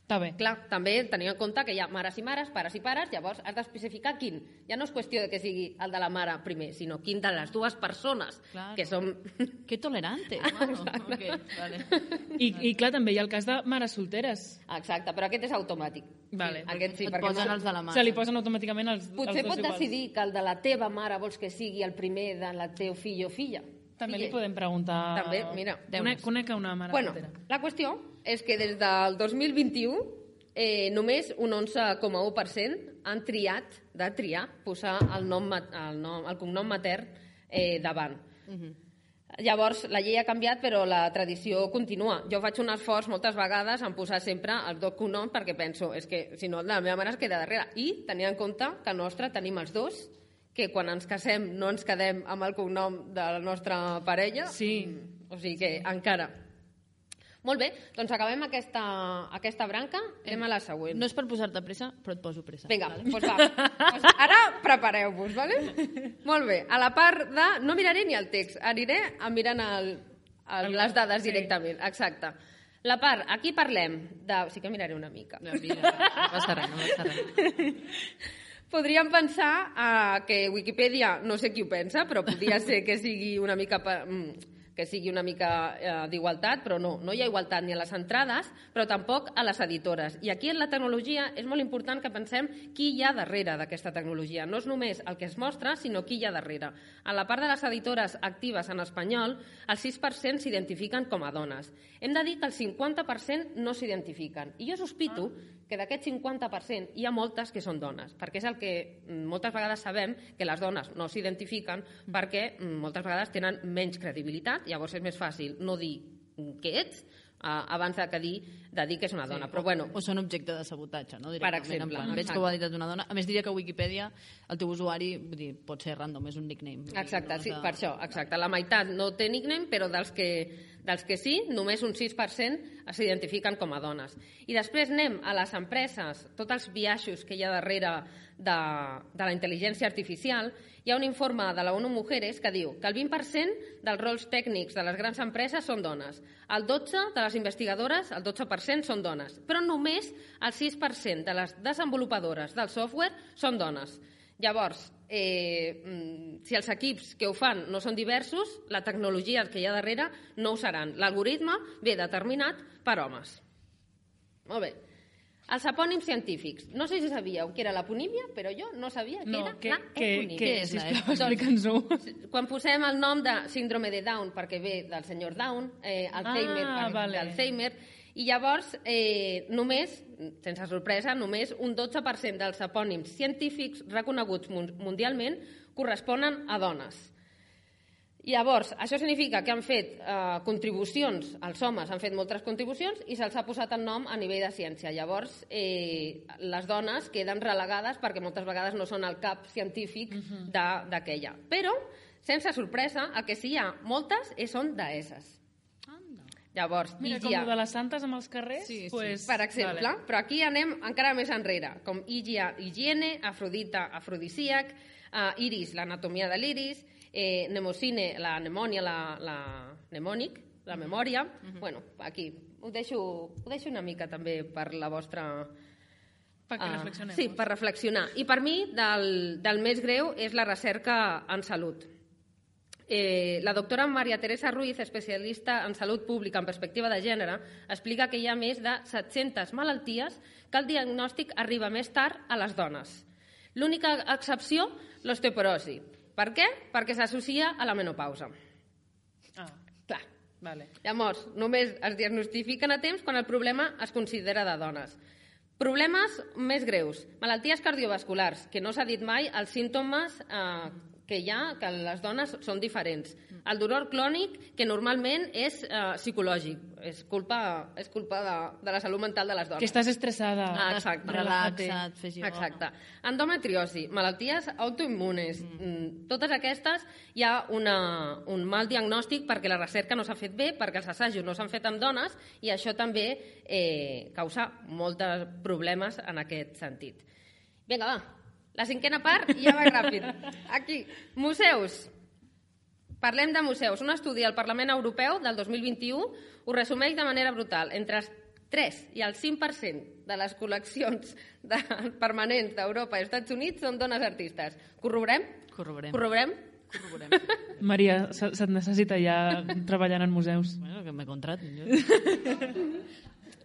Està bé. Clar, també tenint en compte que hi ha mares i mares, pares i pares, llavors has d'especificar quin. Ja no és qüestió de que sigui el de la mare primer, sinó quin de les dues persones, Claro. que som... Que tolerantes. Bueno, ok, vale. I, I clar, també hi ha el cas de mares solteres. Exacte, però aquest és automàtic. Vale. Aquest sí, Et perquè posen no... els de la mà. Se li posen automàticament els, Potser els dos pot iguals. decidir que el de la teva mare vols que sigui el primer de la teu fill o filla. També li Filla. podem preguntar... També, mira. Conec, conec a una mare Bueno, soltera. la qüestió és que des del dos mil vint-i-u eh, només un onze coma u per cent han triat, de triar, posar el, nom, ma- el, nom, el cognom matern eh, davant. Mhm. Llavors, la llei ha canviat, però la tradició continua. Jo faig un esforç moltes vegades en posar sempre els dos cognoms perquè penso, és que si no, la meva mare es queda darrere. I tenint en compte que el nostre tenim els dos, que quan ens casem no ens quedem amb el cognom de la nostra parella. Sí. O sigui que encara. Molt bé, doncs acabem aquesta, aquesta branca, anem a la següent. No és per posar-te pressa, però et poso pressa. Vinga, vale? doncs va. Pues ara prepareu-vos, vale? Molt bé, a la part de... No miraré ni el text, aniré a mirant el, el, les dades directament. Exacte. La part, aquí parlem de... Sí que miraré una mica. No, mira, no passa res, no passa res. Podríem pensar uh, que Wikipedia, no sé qui ho pensa, però podria ser que sigui una mica... que sigui una mica eh, d'igualtat, però no, no hi ha igualtat ni a les entrades, però tampoc a les editores. I aquí en la tecnologia és molt important que pensem qui hi ha darrere d'aquesta tecnologia. No és només el que es mostra, sinó qui hi ha darrere. A la part de les editores actives en espanyol, el sis per cent s'identifiquen com a dones. Hem de dir que el cinquanta per cent no s'identifiquen. I jo sospito que d'aquest cinquanta per cent hi ha moltes que són dones, perquè és el que moltes vegades sabem que les dones no s'identifiquen perquè moltes vegades tenen menys credibilitat. Llavors és més fàcil no dir què ets uh, abans de, que dir, de dir que és una dona. Sí, però, bueno, o són objecte de sabotatge, no? Per exemple. Plan, veig que ho ha dit una dona. A més, diria que a Wikipedia el teu usuari vull dir, pot ser random, és un nickname. Exacte, no sí, de... per això. Exacte. La meitat no té nickname, però dels que, dels que sí, només un sis per cent s'identifiquen com a dones. I després anem a les empreses, tots els biaixos que hi ha darrere de, de la intel·ligència artificial. Hi ha un informe de la ONU Mujeres que diu que el vint per cent dels rols tècnics de les grans empreses són dones, el dotze per cent de les investigadores, el dotze per cent són dones, però només el sis per cent de les desenvolupadores del software són dones. Llavors, eh, si els equips que ho fan no són diversos, la tecnologia que hi ha darrere no ho seran. L'algoritme ve determinat per homes. Molt bé. Els epònims científics. No sé si sabíeu què era l'aponímia, però jo no sabia què no, era que, l'eponímia. Què és, sisplau, explica'ns-ho. Quan posem el nom de síndrome de Down, perquè ve del senyor Down, eh, Alzheimer, ah, vale. d'Alzheimer, i llavors, eh, només, sense sorpresa, només un dotze per cent dels epònims científics reconeguts mundialment corresponen a dones. Llavors, això significa que han fet eh, contribucions, els homes han fet moltes contribucions i se'ls ha posat el nom a nivell de ciència. Llavors, eh, les dones queden relegades perquè moltes vegades no són el cap científic d'aquella. Però, sense sorpresa, el que sí hi ha moltes són deesses. Llavors, Mira, Higia, com de les santes amb els carrers, sí, sí. pues, per exemple, vale. Però aquí anem encara més enrere, com Higia, higiene, Afrodita, afrodisíac, uh, Iris, l'anatomia de l'iris, eh, Nemocine, la mnemònia, la, la mnemònic, la memòria. Uh-huh. Bueno, aquí ho deixo, ho deixo una mica també per la vostra... Perquè uh, reflexionem. Sí, per reflexionar. I per mi, del, del més greu és la recerca en salut. Eh, la doctora Maria Teresa Ruiz, especialista en salut pública en perspectiva de gènere, explica que hi ha més de set-centes malalties que el diagnòstic arriba més tard a les dones. L'única excepció, l'osteoporosi. Per què? Perquè s'associa a la menopausa. Ah, Clar. vale. Llavors, només es diagnostifiquen a temps quan el problema es considera de dones. Problemes més greus. Malalties cardiovasculars, que no s'ha dit mai, els símptomes eh, que hi ha, que les dones són diferents. El dolor clònic, que normalment és eh, psicològic, és culpa, és culpa de, de la salut mental de les dones. Que estàs estressada. Ah, exacte. Relaxa't, fes ioga. Exacte. Endometriosi, malalties autoimmunes, mm. totes aquestes hi ha una, un mal diagnòstic perquè la recerca no s'ha fet bé, perquè els assajos no s'han fet amb dones i això també eh, causa molts problemes en aquest sentit. Vinga, va. La cinquena part ja va ràpid. Aquí, museus. Parlem de museus. Un estudi al Parlament Europeu del dos mil vint-i-u ho resumeix de manera brutal. Entre el tres i el cinc per cent de les col·leccions de, permanents d'Europa i Estats Units són dones artistes. Corroborem? Corroborem. Corroborem? Corroborem. Maria, se- se't necessita ja treballant en museus. Bueno, que me contratin. Jo.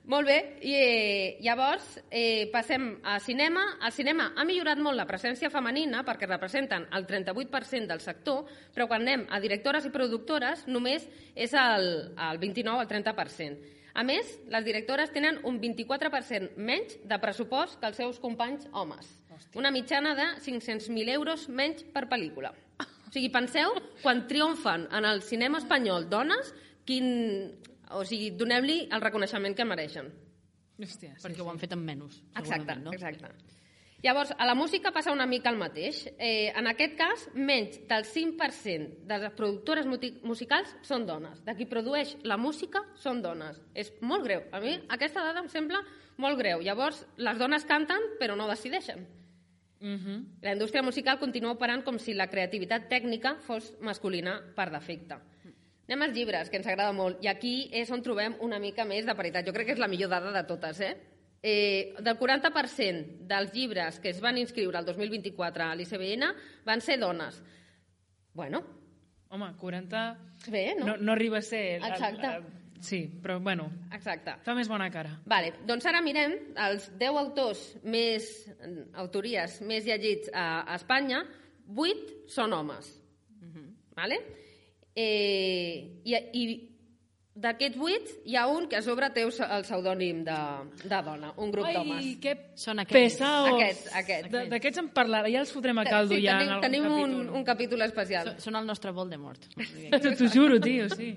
Molt bé, i eh, llavors eh, passem a cinema. El cinema ha millorat molt la presència femenina perquè representen el trenta-vuit per cent del sector, però quan anem a directores i productores només és el, el vint-i-nou al trenta per cent. A més, les directores tenen un vint-i-quatre per cent menys de pressupost que els seus companys homes. Hòstia. Una mitjana de cinc-cents mil euros menys per pel·lícula. O sigui, penseu, quan triomfen en el cinema espanyol dones, quin... O sigui, donem-li el reconeixement que mereixen. Hòstia, sí, Perquè sí. ho han fet amb menys. Exacte, No? exacte. Llavors, a la música passa una mica el mateix. Eh, en aquest cas, menys del cinc per cent de les productores musicals són dones. De qui produeix la música són dones. És molt greu. A mi aquesta dada em sembla molt greu. Llavors, les dones canten però no decideixen. Uh-huh. La indústria musical continua operant com si la creativitat tècnica fos masculina per defecte. Anem als llibres, que ens agrada molt. I aquí és on trobem una mica més de paritat. Jo crec que és la millor dada de totes, eh? Eh, del quaranta per cent dels llibres que es van inscriure el dos mil vint-i-quatre a l'I C B N van ser dones. Bueno. Home, quaranta... Bé, no? No, no arriba a ser... Exacte. El, el, sí, però bueno, Exacte. Fa més bona cara. Vale, doncs ara mirem els deu autors més, autories més llegits a, a Espanya, vuit són homes. Uh-huh. Vale? Eh, i, i d'aquests vuit, hi ha un que a sobre té el pseudònim de, de dona, un grup d'homes. Ai, que són aquests. pesaos. Aquests, aquests. D'aquests en parlarà, ja els fotrem a caldo sí, ja tenim, en algun tenim capítol. un, un capítol especial. Són el nostre Voldemort. T'ho juro, tio, sí.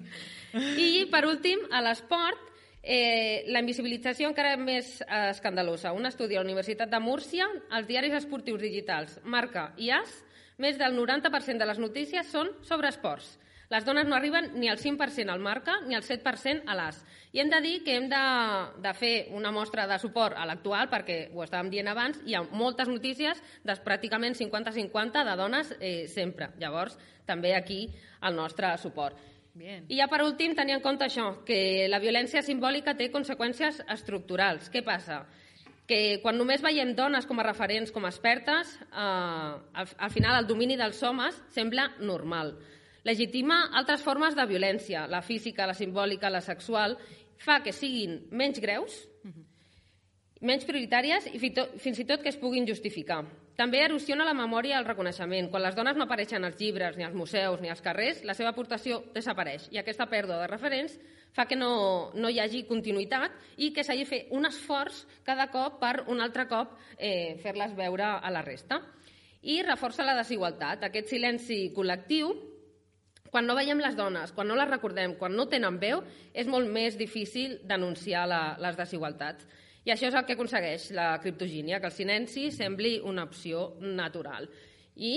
I, per últim, a l'esport, eh, la invisibilització encara més eh, escandalosa. Un estudi a la Universitat de Múrcia, els diaris esportius digitals Marca i As, més del noranta per cent de les notícies són sobre esports. Les dones no arriben ni al cinc per cent al Marca ni al set per cent a l'As. I hem de dir que hem de, de fer una mostra de suport a l'actual, perquè ho estàvem dient abans, hi ha moltes notícies de pràcticament cinquanta cinquanta de dones eh, sempre. Llavors, també aquí el nostre suport. Bien. I ja per últim, tenir en compte això, que la violència simbòlica té conseqüències estructurals. Què passa? Que quan només veiem dones com a referents, com a expertes, eh, al, al final el domini dels homes sembla normal. Legitima altres formes de violència, la física, la simbòlica, la sexual, fa que siguin menys greus, menys prioritàries i fins i tot que es puguin justificar. També erosiona la memòria i el reconeixement. Quan les dones no apareixen als llibres, ni als museus, ni als carrers, la seva aportació desapareix. I aquesta pèrdua de referents fa que no, no hi hagi continuïtat i que s'hagi de fer un esforç cada cop per un altre cop eh, fer-les veure a la resta. I reforça la desigualtat. Aquest silenci col·lectiu, quan no veiem les dones, quan no les recordem, quan no tenen veu, és molt més difícil denunciar la, les desigualtats. I això és el que aconsegueix la criptogínia, que el silenci sembli una opció natural. I,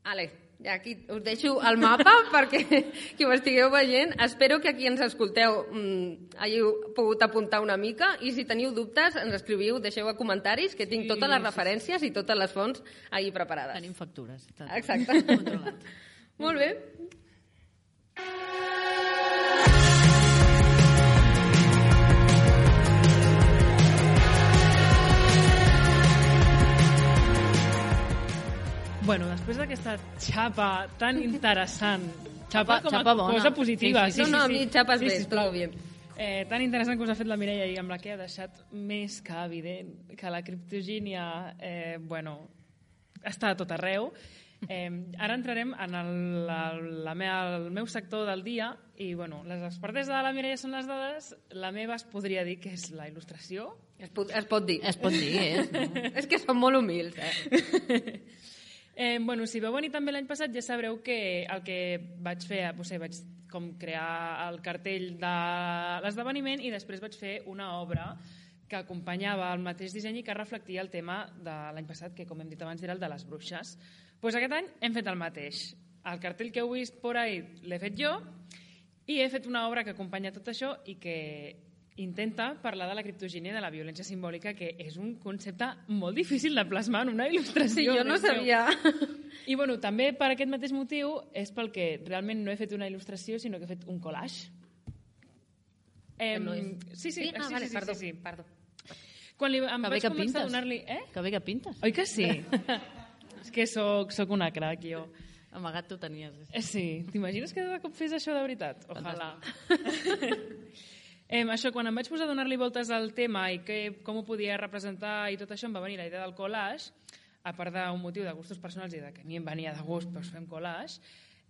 ale, aquí us deixo el mapa perquè qui ho estigueu veient. Espero que aquí ens escolteu mmm, hàgiu pogut apuntar una mica i si teniu dubtes ens escriviu, deixeu a comentaris que tinc totes les referències i totes les fonts ahí preparades. Tenim factures. Exacte. Molt bé. Bueno, després d'aquesta xapa tan interessant, xapa, com a xapa bona. cosa positiva. Sí, sí, sí. No, no, a mi xapes bé, sisplau. todo bien. Eh, tan interessant que us ha fet la Mireia i amb la que ha deixat més que evident que la criptogínia, eh, bueno, està a tot arreu. Eh, ara entrarem en el, la, la meva, el meu sector del dia i, bueno, les expertes de la Mireia són les dades, la meva es podria dir que és la il·lustració. Es pot, es pot dir. Es pot dir, eh? No? És que som molt humils, eh? Eh, bueno, si vau venir també l'any passat ja sabreu que el que vaig fer, no sé, vaig com crear el cartell de l'esdeveniment i després vaig fer una obra que acompanyava el mateix disseny i que reflectia el tema de l'any passat, que com hem dit abans era el de les bruixes. Pues aquest any hem fet el mateix. El cartell que heu vist por ahí l'he fet jo i he fet una obra que acompanya tot això i que intenta parlar de la criptogínia i de la violència simbòlica, que és un concepte molt difícil de plasmar en una il·lustració. Sí, jo no sabia. I bueno, també per aquest mateix motiu és pel que realment no he fet una il·lustració, sinó que he fet un collage. Eh, no és... Sí, sí, sí? Ah, sí, vale, sí, perdó, sí, sí. perdó. Quan li, em Que bé vaig que començar pintes. a donar-li... Eh? Que bé que pintes. Oi que sí? És que soc, soc una crac, jo. Amagat tu tenies. Eh, Sí, t'imagines que de cop fes això de veritat? Ojalà. eh, això, quan em vaig posar a donar-li voltes al tema i que, com ho podia representar i tot això, em va venir la idea del collage, a part d'un motiu de gustos personals i de que a mi em venia de gust doncs fem collage,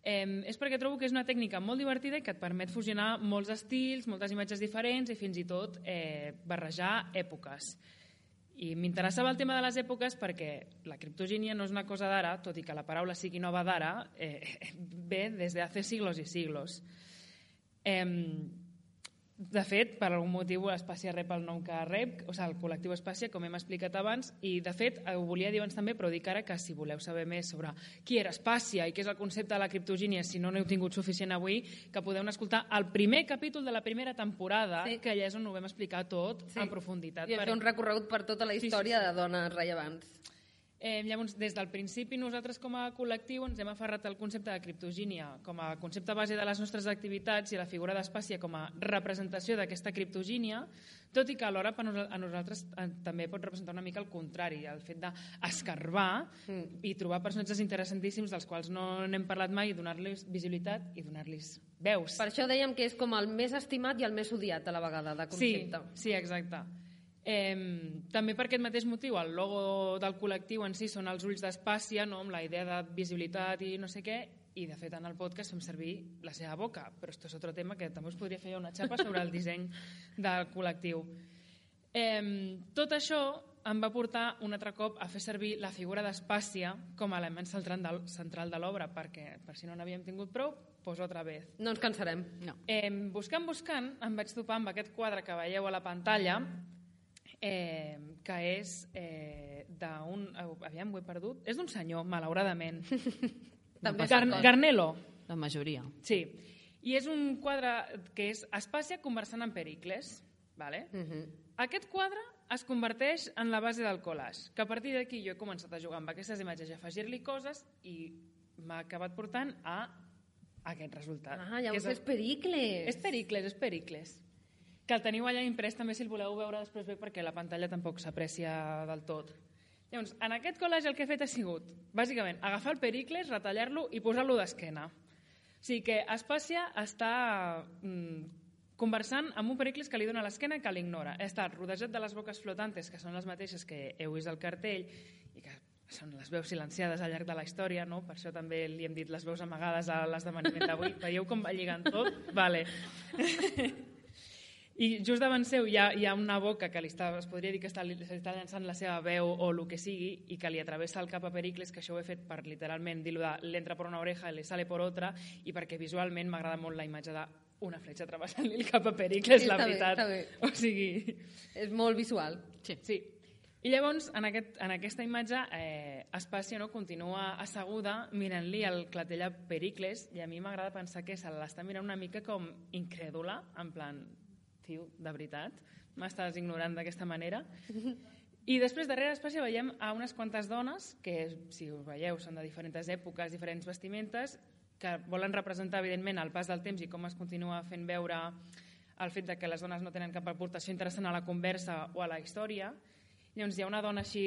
eh, és perquè trobo que és una tècnica molt divertida i que et permet fusionar molts estils, moltes imatges diferents i fins i tot eh, barrejar èpoques. I m'interessava el tema de les èpoques perquè la criptogínia no és una cosa d'ara, tot i que la paraula sigui nova d'ara, eh, ve des de hace siglos i siglos. Eh, De fet, per algun motiu l'Espàcia rep el nom que rep, o sigui, el col·lectiu Espàcia, com hem explicat abans, i de fet ho volia dir abans també, però dic ara que si voleu saber més sobre qui era Espàcia i què és el concepte de la criptogínia, si no n'heu tingut suficient avui, que podeu escoltar el primer capítol de la primera temporada, sí. que allà és on ho vam explicar tot sí. en profunditat. I vam fer un recorregut per tota la història sí, sí, sí. de dones rellevants. Eh, llavors, des del principi, nosaltres com a col·lectiu ens hem aferrat al concepte de criptogínia com a concepte base de les nostres activitats i la figura d'Espàcia com a representació d'aquesta criptogínia, tot i que alhora per a nosaltres també pot representar una mica el contrari, el fet d'escarbar mm. i trobar personatges interessantíssims dels quals no n'hem parlat mai i donar-los visibilitat i donar-los veus. Per això dèiem que és com el més estimat i el més odiat a la vegada de concepte. Sí, sí, exacte. Eh, també per aquest mateix motiu el logo del col·lectiu en si són els ulls d'Espàcia, no? Amb la idea de visibilitat i no sé què, i de fet en el podcast fem servir la seva boca, però això és un altre tema que també us podria fer una xapa sobre el disseny del col·lectiu. Eh, tot això em va portar un altre cop a fer servir la figura d'Espàcia com a element central de l'obra, perquè per si no n'havíem tingut prou, pues otra vez. No ens cansarem. No. Eh, buscant, buscant, em vaig topar amb aquest quadre que veieu a la pantalla, Eh, que és eh, d'un... Aviam, ho he perdut. És d'un senyor, malauradament. També Gar Garnelo. La majoria. Sí. I és un quadre que és Espàcia conversant amb Pericles. Vale? Uh -huh. Aquest quadre es converteix en la base del collage, que a partir d'aquí jo he començat a jugar amb aquestes imatges i a afegir-li coses i m'ha acabat portant a aquest resultat. Ah, llavors és, el... és Pericles. És Pericles, és Pericles. Que el teniu allà imprès també si el voleu veure després bé perquè la pantalla tampoc s'aprecia del tot. Llavors, en aquest collage el que he fet ha sigut, bàsicament, agafar el Pericles, retallar-lo i posar-lo d'esquena. O sigui que Espàcia està mm, conversant amb un Pericles que li dona l'esquena i que l'ignora. Ha estat rodejat de les boques flotantes, que són les mateixes que heu vist al cartell i que són les veus silenciades al llarg de la història, no? Per això també li hem dit les veus amagades a l'esdeveniment d'avui. Veieu com va lligant tot? Vale. I just davant seu hi ha, hi ha una boca que li està, es podria dir que està, li està llançant la seva veu o el que sigui i que li atravessa el cap a Pericles, que això ho he fet per literalment dir-lo de l'entra per una oreja i le sale per otra, i perquè visualment m'agrada molt la imatge d'una fletxa travessant-li el cap a Pericles, sí, la veritat. Bé, o sigui... És molt visual. Sí. sí. I llavors, en, aquest, en aquesta imatge, eh, Espàcia no, continua asseguda mirant-li el clatell a Pericles, i a mi m'agrada pensar que se l'està mirant una mica com incrèdula, en plan... Tio, de veritat, m'estàs ignorant d'aquesta manera. I després, darrere Espàcia, veiem a unes quantes dones, que, si us veieu, són de diferents èpoques, diferents vestimentes, que volen representar, evidentment, el pas del temps i com es continua fent veure el fet de que les dones no tenen cap aportació interessant a la conversa o a la història. Llavors, hi ha una dona així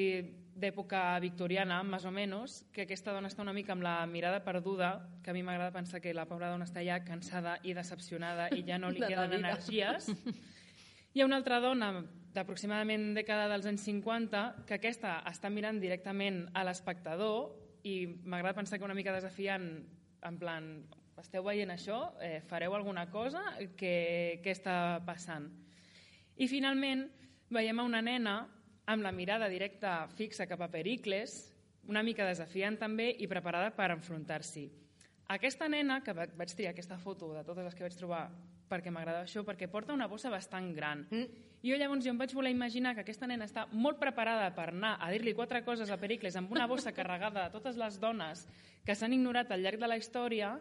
d'època victoriana, més o menys, que aquesta dona està una mica amb la mirada perduda, que a mi m'agrada pensar que la pobra dona està ja cansada i decepcionada i ja no li queden energies. Hi ha una altra dona d'aproximadament dècada dels anys cinquanta que aquesta està mirant directament a l'espectador i m'agrada pensar que una mica desafiant, en plan, esteu veient això? Eh, fareu alguna cosa? Què, què està passant? I finalment veiem a una nena amb la mirada directa fixa cap a Pericles, una mica desafiant també i preparada per enfrontar-s'hi. Aquesta nena, que vaig triar aquesta foto de totes les que vaig trobar perquè m'agradava això, perquè porta una bossa bastant gran. Mm. I jo llavors jo em vaig voler imaginar que aquesta nena està molt preparada per anar a dir-li quatre coses a Pericles amb una bossa carregada de totes les dones que s'han ignorat al llarg de la història,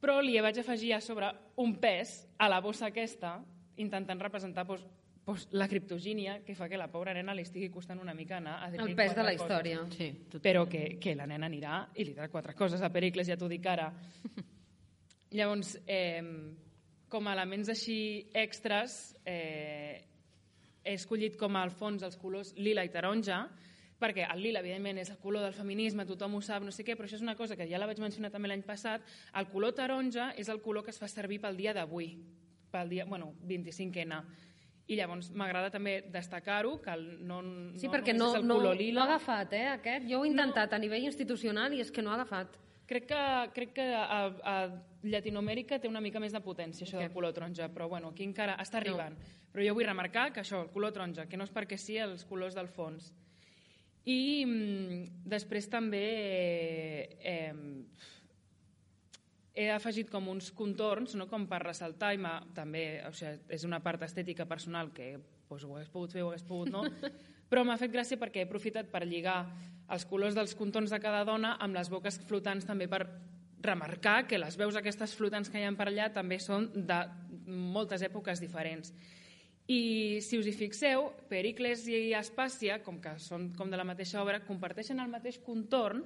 però li vaig afegir a sobre un pes a la bossa aquesta, intentant representar doncs, la criptogínia, que fa que la pobra nena li estigui costant una mica anar a dir-li el pes quatre de la coses. història. Sí, però que, que la nena anirà i li dirà quatre coses a Pericles, ja t'ho dic ara. Llavors, eh, com a elements així extras, eh, he escollit com al fons els colors lila i taronja, perquè el lila, evidentment, és el color del feminisme, tothom ho sap, no sé què, però això és una cosa que ja la vaig mencionar també l'any passat. El color taronja és el color que es fa servir pel dia d'avui, pel dia, bueno, vint-i-cinc ena. I llavors m'agrada també destacar-ho, que no, no sí, perquè no, no, és el no, color lila. No ha agafat, eh, aquest. Jo ho he intentat no. a nivell institucional i és que no ha agafat. Crec que, crec que a, a Llatinoamèrica té una mica més de potència, això okay. del color taronja, però bueno, aquí encara està arribant. No. Però jo vull remarcar que això, el color taronja, que no és perquè sí els colors del fons. I mm, després també eh, he afegit com uns contorns, no? Com per ressaltar, i també o sigui, és una part estètica personal que pues, ho hagués pogut fer, ho hagués pogut no, però m'ha fet gràcia perquè he aprofitat per lligar els colors dels contorns de cada dona amb les boques flotants també per remarcar que les veus aquestes flotants que hi ha per allà també són de moltes èpoques diferents. I si us hi fixeu, Pericles i Aspàcia, com que són com de la mateixa obra, comparteixen el mateix contorn,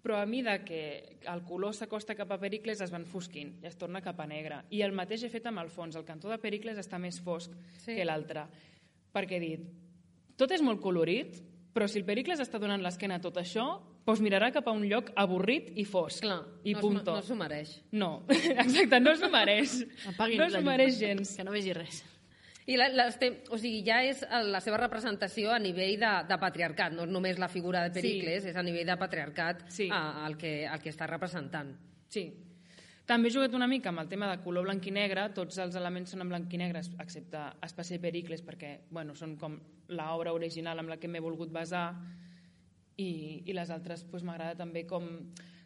però a mida que el color s'acosta cap a Pericles es va enfosquint i es torna cap a negre. I el mateix he fet amb el fons. El cantó de Pericles està més fosc sí. que l'altre. Perquè he dit, tot és molt colorit, però si el Pericles està donant l'esquena a tot això, doncs mirarà cap a un lloc avorrit i fosc. Clar, i no, punto. no s'ho mereix. No, exacte, no s'ho mereix. Apaguin no s'ho mereix gens. Que no vegi res. I la, la, o sigui, ja és la seva representació a nivell de, de patriarcat, no és només la figura de Pericles, sí. és a nivell de patriarcat sí. a, el, que, el que està representant. Sí. També he jugat una mica amb el tema de color blanc i negre, tots els elements són en blanc i negre, excepte Aspàcia i Pericles, perquè bueno, són com l'obra original amb la que m'he volgut basar, i, i les altres pues, m'agrada també com...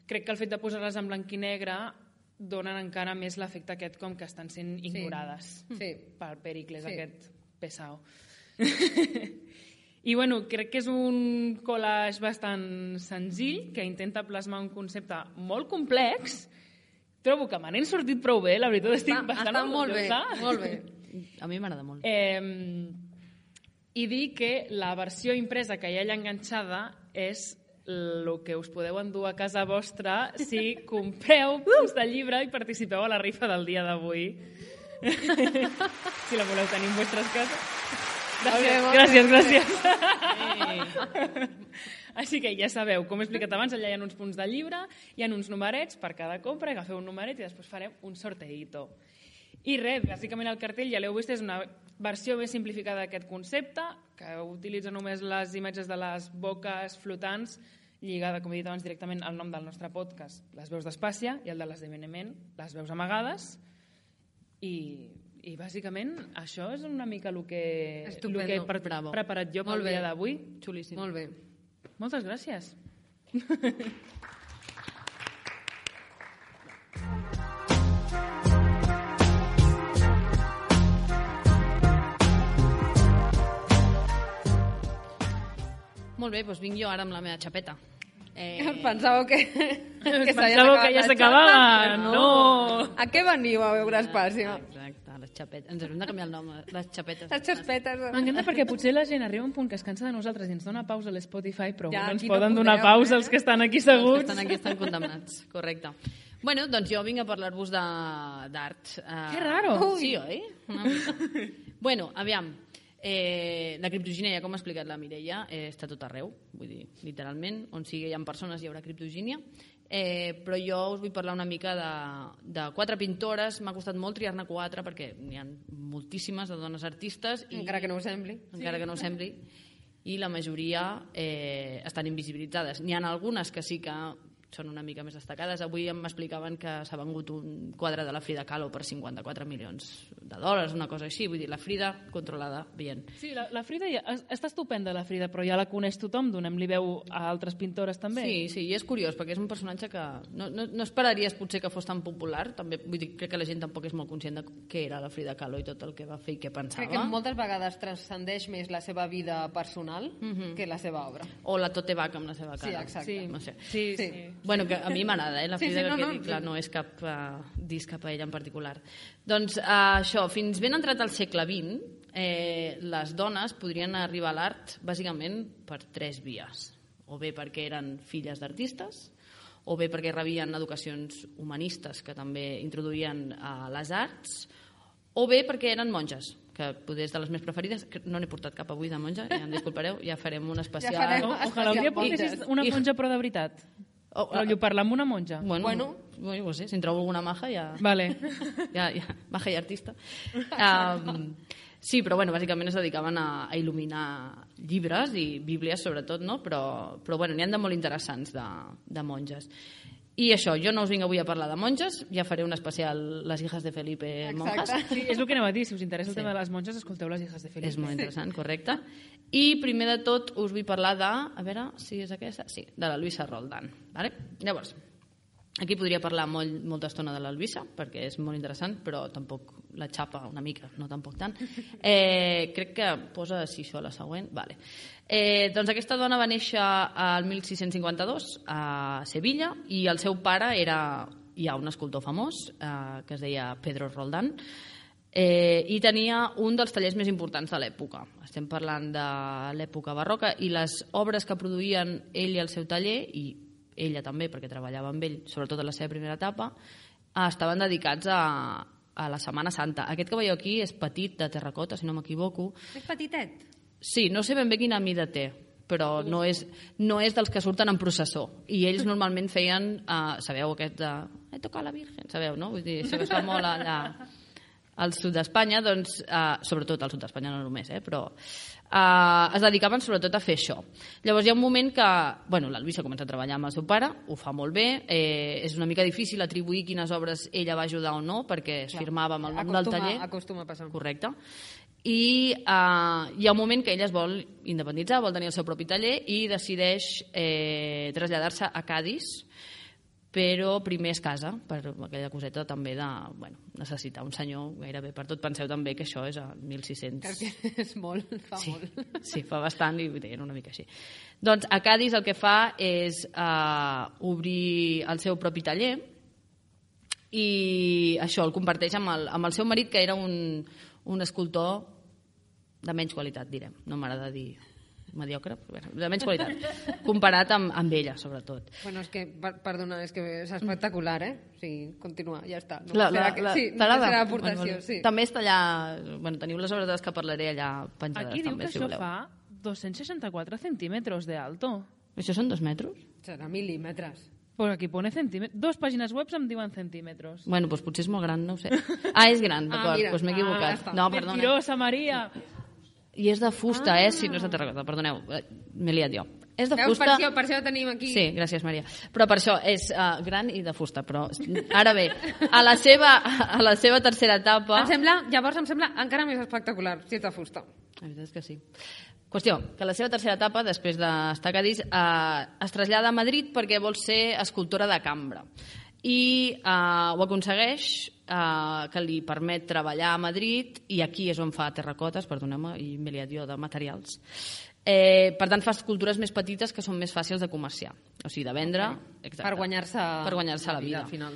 Crec que el fet de posar-les en blanc i negre donen encara més l'efecte aquest com que estan sent ignorades sí. Sí. pel Pericles, sí. aquest pesau. I bueno, crec que és un collage bastant senzill, que intenta plasmar un concepte molt complex. Trobo que me n'he sortit prou bé, la veritat estic està, bastant està molt bé, molt bé. A mi m'agrada molt. Eh, I dir que la versió impresa que hi ha allà enganxada és el que us podeu endur a casa vostra si compreu punts de llibre i participeu a la rifa del dia d'avui. Si la voleu tenir en vostres cases. Gràcies, gràcies, gràcies. Així que ja sabeu, com he explicat abans, allà hi ha uns punts de llibre, hi ha uns numerets per cada compra, agafeu un numeret i després farem un sorteïto. I res, bàsicament el cartell, ja l'heu vist, és una versió més simplificada d'aquest concepte, que utilitza només les imatges de les boques flotants, lligada, com he dit abans, directament al nom del nostre podcast, les veus d'Aspàcia, i el de l'esdeveniment, les veus amagades, i... I bàsicament això és una mica el que, el que he pre Bravo. preparat jo pel dia d'avui. Xulíssim. Molt bé. Moltes gràcies. Molt bé, doncs vinc jo ara amb la meva xapeta. Eh... Pensàveu que, que, Pensàveu que ja s'acabava? No. A què veniu a veure Aspàcia? Exacte, les xapetes. Ens hem de canviar el nom, les xapetes. Les xapetes. M'encanta perquè potser la gent arriba a un punt que es cansa de nosaltres i ens dona pausa a l'Spotify, però ja, no ens no poden podeu, donar pausa eh? els que estan aquí seguts. Els que estan aquí estan condemnats, correcte. Bueno, doncs jo vinc a parlar-vos d'art. Uh, que raro. Sí, oi? Una mica. Bueno, aviam. Eh, la criptogínia, com ha explicat la Mireia, eh, està tot arreu, vull dir, literalment, on sigui hi ha persones hi haurà criptogínia, eh, però jo us vull parlar una mica de, de quatre pintores. M'ha costat molt triar-ne quatre perquè n'hi ha moltíssimes de dones artistes i, encara que no ho sembli encara sí. que no ho sembli, i la majoria eh, estan invisibilitzades. N'hi ha algunes que sí que són una mica més destacades. Avui m'explicaven que s'ha vengut un quadre de la Frida Kahlo per cinquanta-quatre milions de dòlars, una cosa així. Vull dir, la Frida controlada, bien. Sí, la, la Frida ja, està estupenda, la Frida, però ja la coneix tothom, donem-li veu a altres pintores també. Sí, sí, i és curiós, perquè és un personatge que no, no, no esperaries potser que fos tan popular, també, vull dir, crec que la gent tampoc és molt conscient de què era la Frida Kahlo i tot el que va fer i què pensava. Crec que moltes vegades transcendeix més la seva vida personal uh-huh. que la seva obra. O la Tote Bach amb la seva cara. Sí, exacte. Sí, no sé. sí, sí. sí. Bueno, que a mi m'agrada, eh, la Frida, sí, sí, no, que no, dic, clar, sí. no és cap uh, disc cap a ella en particular. Doncs uh, això, fins ben entrat al segle vint, eh, les dones podrien arribar a l'art bàsicament per tres vies. O bé perquè eren filles d'artistes, o bé perquè rebien educacions humanistes que també introduïen uh, les arts, o bé perquè eren monges, que poder és de les més preferides, que no n'he portat cap avui de monja, ja em disculpareu, ja farem un especial... Ja farem o, ojalà un dia portessis una monja però de veritat. Oh, Rotllo, parlar amb una monja. Bueno, Bueno. bueno, no sé, si en trobo alguna maja ja... Vale. ja, ja, maja i artista. Um, sí, però bueno, bàsicament es dedicaven a, a il·luminar llibres i bíblies sobretot, no? Però, però bueno, n'hi ha de molt interessants de, de monges. I això, jo no us vinc avui a parlar de monges, ja faré un especial Les hijas de Felipe monjas. Sí, és el que anava a dir, si us interessa el sí. tema de les monges, escolteu Les hijas de Felipe. És molt interessant, correcte. I primer de tot us vull parlar de, a veure si és aquesta, sí, de la Luisa Roldán. Vale? Llavors, Aquí podria parlar molt, molta estona de l'Alvisa, perquè és molt interessant, però tampoc la xapa una mica, no tampoc tant. Eh, crec que posa si això la següent. Vale. Eh, doncs aquesta dona va néixer al mil sis-cents cinquanta-dos a Sevilla i el seu pare era ja un escultor famós eh, que es deia Pedro Roldán eh, i tenia un dels tallers més importants de l'època. Estem parlant de l'època barroca i les obres que produïen ell i el seu taller, i ella també, perquè treballava amb ell, sobretot en la seva primera etapa, estaven dedicats a, a la Setmana Santa. Aquest que veieu aquí és petit, de terracota, si no m'equivoco. És petitet? Sí, no sé ben bé quina mida té, però no és, no és dels que surten en processó. I ells normalment feien, uh, sabeu, aquest de... He tocat la Virgen, sabeu, no? Vull dir, això que es fa molt allà al sud d'Espanya, doncs, uh, sobretot al sud d'Espanya, no només, eh, però uh, es dedicaven sobretot a fer això. Llavors hi ha un moment que, bueno, l'Alvisa comença a treballar amb el seu pare, ho fa molt bé, eh, és una mica difícil atribuir quines obres ella va ajudar o no, perquè es firmava amb el nom del taller. Acostuma a passar. Correcte. I uh, hi ha un moment que ella es vol independitzar, vol tenir el seu propi taller i decideix eh, traslladar-se a Cadis, però primer es casa, per aquella coseta també de bueno, necessitar un senyor gairebé per tot. Penseu també que això és a mil sis-cents. Perquè és molt, fa sí, molt. Sí, fa bastant i era una mica així. Doncs a Cadis el que fa és uh, obrir el seu propi taller i això el comparteix amb el, amb el seu marit, que era un, un escultor de menys qualitat, direm. No m'agrada dir mediocre, de menys qualitat, comparat amb, amb ella, sobretot. Bueno, és que, per, perdona, és que és espectacular, eh? O sigui, continua, ja està. No la, la, que, la, sí, no serà aportació, bueno, sí. Sí. També està allà, bueno, teniu les obres de les que parlaré allà penjades. Aquí diu també, que si això voleu. fa dos-cents seixanta-quatre centímetres de alto. Això són dos metres? Serà mil·límetres. Pues aquí pone centímetres. Dos pàgines web em diuen centímetres. Bueno, doncs potser és molt gran, no ho sé. Ah, és gran, d'acord, ah, doncs m'he equivocat. Ah, no, perdona. Mentirosa, Maria! I és de fusta, ah. eh? Si no és de terracota, perdoneu, m'he liat jo. És de Veus, fusta... per això, per això tenim aquí... Sí, gràcies, Maria. Però per això és uh, gran i de fusta, però ara bé, a la seva, a la seva tercera etapa... Em sembla, llavors em sembla encara més espectacular, si és de fusta. La veritat és que sí. Qüestió, que la seva tercera etapa, després d'estar a Cadis, eh, es trasllada a Madrid perquè vol ser escultora de cambra. I eh, ho aconsegueix, eh, que li permet treballar a Madrid, i aquí és on fa terracotes, perdoneu-me, i m'he liat jo de materials. Eh, per tant, fa escultures més petites que són més fàcils de comerciar, o sigui, de vendre... Exacte, per guanyar-se per guanyar-se la vida. Al final.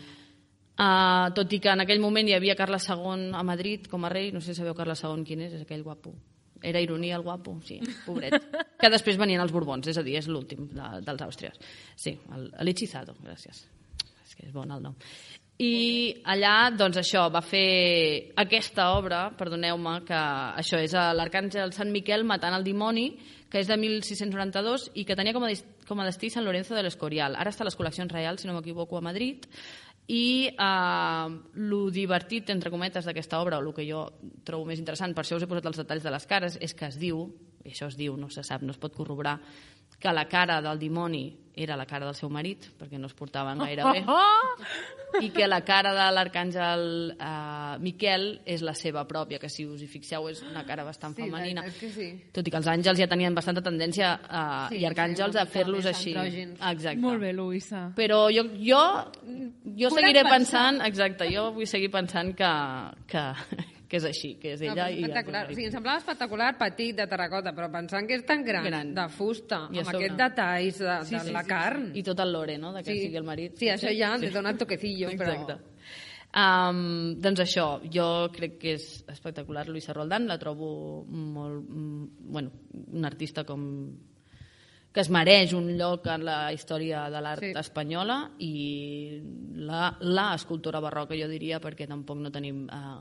Uh, tot i que en aquell moment hi havia Carles segon a Madrid com a rei, no sé si sabeu Carles segon quin és, és aquell guapo. Era ironia el guapo, sí, pobret. Que després venien els Borbons, és a dir, és l'últim de, dels Àustries. Sí, l'Hechizado, gràcies. És que és bon el nom. I allà, doncs això, va fer aquesta obra, perdoneu-me, que això és l'Arcàngel Sant Miquel matant el dimoni, que és de mil sis-cents noranta-dos i que tenia com a, com a destí Sant Lorenzo de l'Escorial. Ara està a les col·leccions reials, si no m'equivoco, a Madrid. I eh, lo divertit, entre cometes, d'aquesta obra, o el que jo trobo més interessant, per això us he posat els detalls de les cares, és que es diu, i això es diu, no se sap, no es pot corroborar, que la cara del dimoni era la cara del seu marit, perquè no es portaven gaire bé, i que la cara de l'arcàngel eh, Miquel és la seva pròpia, que si us hi fixeu és una cara bastant sí, femenina. Que sí. Tot i que els àngels ja tenien bastanta tendència eh, sí, i arcàngels sí, a fer-los així. Exacte. Molt bé, Luisa. Però jo, jo, jo seguiré pensar. pensant, exacte, jo vull seguir pensant que, que, que és així, que és ella. No, espectacular. I o sigui, em semblava espectacular, petit, de terracota, però pensant que és tan gran, gran. de fusta, I amb aquests detalls de, sí, de sí, la sí, carn. Sí. I tot el lore, no?, de que sí. sigui el marit. Sí, això ja sí. li dona el toquecillo, però... Exacte. Um, doncs això, jo crec que és espectacular Luisa Roldán, la trobo molt, bueno, una artista com que es mereix un lloc en la història de l'art sí. espanyola i la, la escultora barroca, jo diria, perquè tampoc no tenim eh,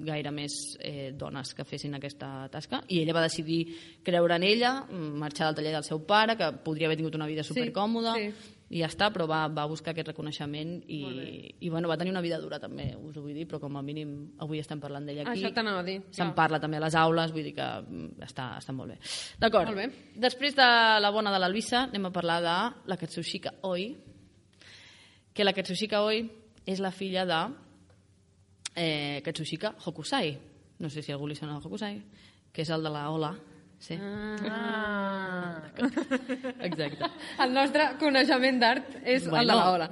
gaire més eh, dones que fessin aquesta tasca, i ella va decidir creure en ella, marxar del taller del seu pare, que podria haver tingut una vida supercòmoda, sí, sí. i ja està, però va, va buscar aquest reconeixement i, i bueno, va tenir una vida dura també, us ho vull dir, però com a mínim avui estem parlant d'ella aquí. Això t'anava a dir. Se'n parla també a les aules, vull dir que està, està molt bé. D'acord, molt bé. Després de la bona de l'Alvisa anem a parlar de la Katsushika Oi, que la Katsushika Oi és la filla de eh, Katsushika Hokusai. No sé si algú li sona el Hokusai, que és el de la Ola. Sí. Ah. Exacte. El nostre coneixement d'art és bueno, el de la Ola.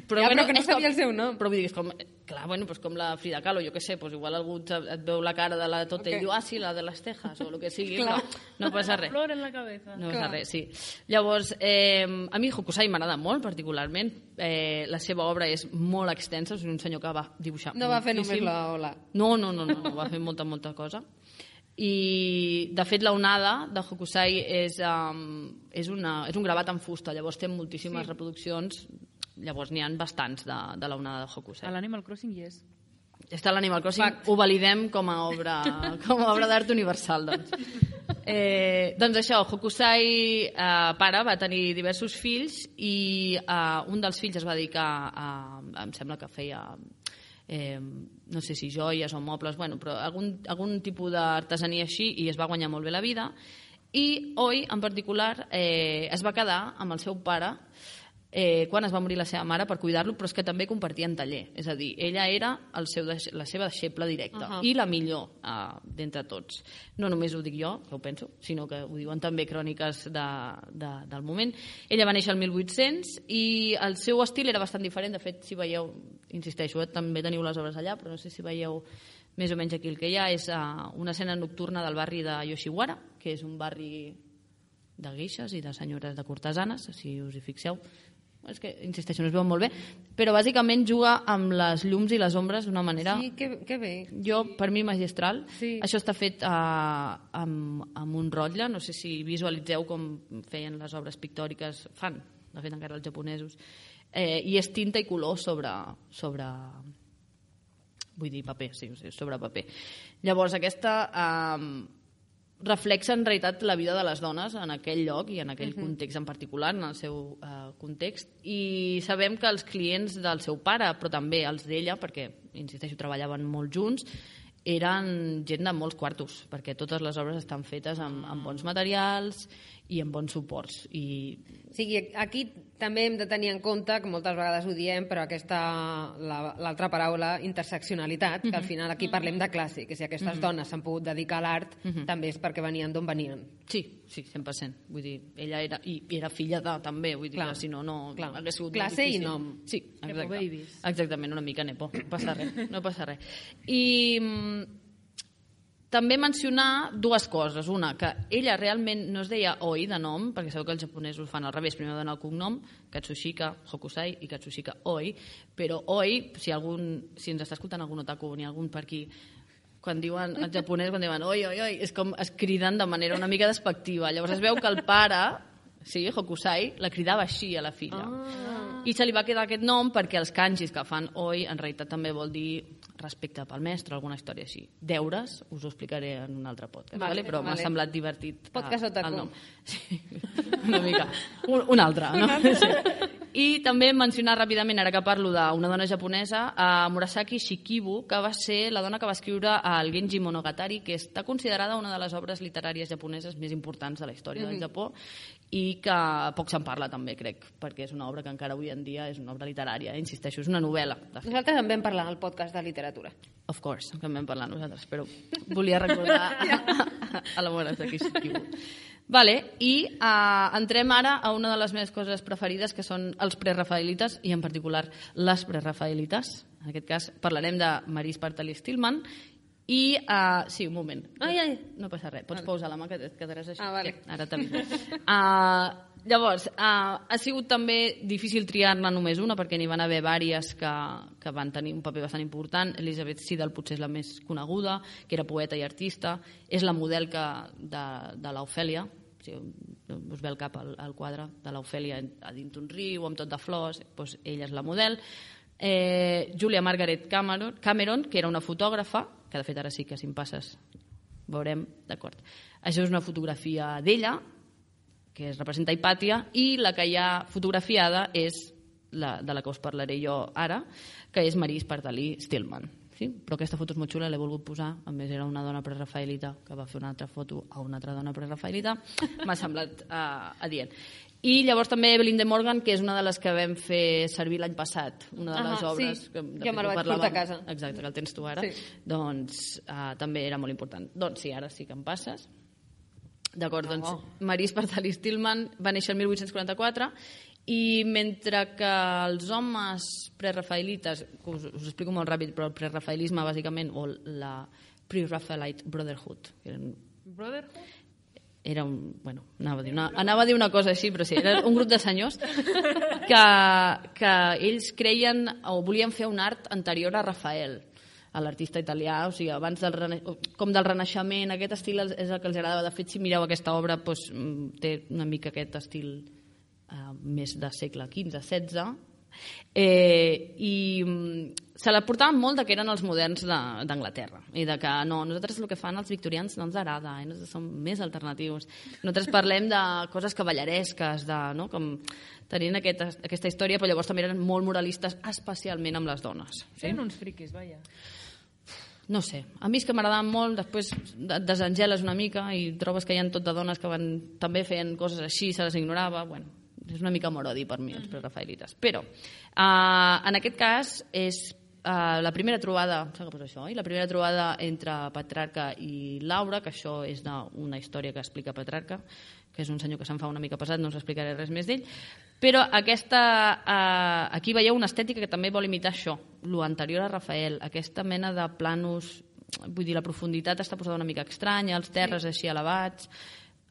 Però, ja, bueno, però que no és com, sabia el seu nom. Però vull dir, és com, clar, bueno, pues com la Frida Kahlo, jo què sé, pues igual algú et, et veu la cara de la tota okay. i diu, ah, sí, la de les tejas, o el que sigui, no, no passa res. Flor en la cabeza. No passa res, sí. Llavors, eh, a mi Hokusai m'agrada molt, particularment. Eh, la seva obra és molt extensa, és un senyor que va dibuixar No va fer moltíssim. només la ola. No, no, no, no, no, va fer molta, molta cosa. I, de fet, la onada de Hokusai és, um, és, una, és un gravat en fusta, llavors té moltíssimes sí. reproduccions, llavors n'hi ha bastants de, de la onada de Hokusai. A l'Animal Crossing hi és. Està a l'Animal Crossing, Fact. Ho validem com a obra, com a obra d'art universal, doncs. Eh, doncs això, Hokusai, eh, pare, va tenir diversos fills i eh, un dels fills es va dedicar a, em sembla que feia... Eh, no sé si joies o mobles, bueno, però algun, algun tipus d'artesania així, i es va guanyar molt bé la vida. I Oi, en particular, eh, es va quedar amb el seu pare eh, quan es va morir la seva mare per cuidar-lo, però és que també compartien taller. És a dir, ella era el seu, la seva deixeble directa uh -huh. i la millor eh, d'entre tots. No només ho dic jo, que ho penso, sinó que ho diuen també cròniques de, de, del moment. Ella va néixer el mil vuit-cents i el seu estil era bastant diferent. De fet, si veieu, insisteixo, eh, també teniu les obres allà, però no sé si veieu més o menys aquí el que hi ha, és uh, una escena nocturna del barri de Yoshiwara, que és un barri de guixes i de senyores de cortesanes, si us hi fixeu. És que, insisteixo, no es veu molt bé, però bàsicament juga amb les llums i les ombres d'una manera... Sí, que, que bé. Jo, per mi, magistral. Sí. Això està fet uh, amb, amb un rotlle, no sé si visualitzeu com feien les obres pictòriques, fan, de fet encara els japonesos, eh, i és tinta i color sobre... sobre vull dir paper, sí, sobre paper. Llavors, aquesta... Uh, reflexa en realitat la vida de les dones en aquell lloc i en aquell uh -huh. context en particular, en el seu uh, context, i sabem que els clients del seu pare, però també els d'ella, perquè, insisteixo, treballaven molt junts, eren gent de molts quartos, perquè totes les obres estan fetes amb, amb bons materials i amb bons suports. I... O sigui, aquí també hem de tenir en compte, que moltes vegades ho diem, però aquesta, l'altra paraula, interseccionalitat, que al final aquí parlem de classe, que si aquestes dones s'han pogut dedicar a l'art, també és perquè venien d'on venien. Sí, sí, cent per cent. Vull dir, ella era, i era filla de, també, vull dir, clar, que si no, no clar. Hagués sigut classe i nom. Sí, exacte. Nepo babies. Exactament, una mica nepo, no passa res, no passa res. I... també mencionar dues coses. Una, que ella realment no es deia Oi de nom, perquè sabeu que els japonesos fan al revés, primer donen el cognom, Katsushika Hokusai i Katsushika Oi, però Oi, si, algun, si ens està escoltant algun otaku o n'hi ha algun per aquí, quan diuen els japonesos, quan diuen oi, oi, oi, és com es criden de manera una mica despectiva. Llavors es veu que el pare, sí, Hokusai, la cridava així a la filla. Ah. I se li va quedar aquest nom perquè els kanjis que fan Oi en realitat també vol dir respecte pel mestre, alguna història així. Deures, us ho explicaré en un altre podcast, vale, vale? Però vale. M'ha semblat divertit podcast otaku. El nom. Sí, una mica. Un, un altre, no? Sí. I també mencionar ràpidament, ara que parlo d'una dona japonesa, a Murasaki Shikibu, que va ser la dona que va escriure el Genji Monogatari, que està considerada una de les obres literàries japoneses més importants de la història mm-hmm. del Japó, i que poc se'n parla també, crec, perquè és una obra que encara avui en dia és una obra literària, insisteixo, és una novel·la. Nosaltres en vam parlar al podcast de literatura. Of course, que en vam parlar nosaltres, però volia recordar a, a la Murasaki Shikibu. Vale, i uh, entrem ara a una de les meves coses preferides, que són els prerafaelites, i en particular les prerafaelites. En aquest cas parlarem de Maryse Bartali Stillman. I, uh, sí, un moment. Ai, ai. No passa res, pots vale. Pausar la mà que et quedaràs així. Ah, vale. Ja, ara també. Uh, llavors, uh, ha sigut també difícil triar-ne només una, perquè n'hi van haver vàries que, que van tenir un paper bastant important. Elizabeth Siddal potser és la més coneguda, que era poeta i artista. És la model que, de, de l'Ofèlia. Si us ve el cap al, al quadre de l'Ofèlia a dins d'un riu amb tot de flors, doncs ella és la model. Eh, Julia Margaret Cameron, Cameron, que era una fotògrafa, que de fet ara sí que si em passes veurem, d'acord. Això és una fotografia d'ella, que es representa a Hipàtia, i la que hi ha fotografiada és la, de la que us parlaré jo ara, que és Maryse Bartali Stillman. Sí? Però aquesta foto és molt xula, l'he volgut posar, a més era una dona prerafaelita que va fer una altra foto a una altra dona prerafaelita, m'ha semblat uh, adient. I llavors també Evelyn de Morgan, que és una de les que vam fer servir l'any passat, una de les uh -huh, obres sí. que de jo me la vaig portar a casa. Exacte, que el tens tu ara, sí. Doncs uh, també era molt important. Doncs sí, ara sí que em passes. D'acord, doncs oh. Maryse Bartali Stillman va néixer el mil vuit-cents quaranta-quatre I mentre que els homes prerafaelites, us, us explico molt ràpid, però el prerafaelisme bàsicament, o la Pre-Raphaelite Brotherhood, eren Brotherhood? era un... Bueno, anava a dir una, anava a dir una cosa així, però sí, era un grup de senyors que, que ells creien o volien fer un art anterior a Rafael, a l'artista italià, o sigui, abans del, rena... com del Renaixement, aquest estil és el que els agradava. De fet, si mireu aquesta obra, doncs, té una mica aquest estil eh, més de segle quinze setze, Eh, i se la portaven molt de que eren els moderns d'Anglaterra i de que no, nosaltres el que fan els victorians no ens agrada, eh? Nosaltres som més alternatius, nosaltres parlem de coses cavalleresques, de, no? Com tenint aquesta, aquesta història, però llavors també eren molt moralistes, especialment amb les dones, sí? Eren uns friquis, vaja. No sé, a mi és que m'agradaven molt, després et desengeles una mica i trobes que hi ha tot de dones que van, també feien coses així, se les ignorava, bueno, és una mica morodi per mi, els prerafaelites. Però, eh, en aquest cas, és eh, la primera trobada, em sembla que poso això, eh? la primera trobada entre Petrarca i Laura, que això és d'una història que explica Petrarca, que és un senyor que se'n fa una mica pesat, no us explicaré res més d'ell, però aquesta, eh, aquí veieu una estètica que també vol imitar això, lo anterior a Rafael, aquesta mena de planos, vull dir, la profunditat està posada una mica estranya, els terres així elevats.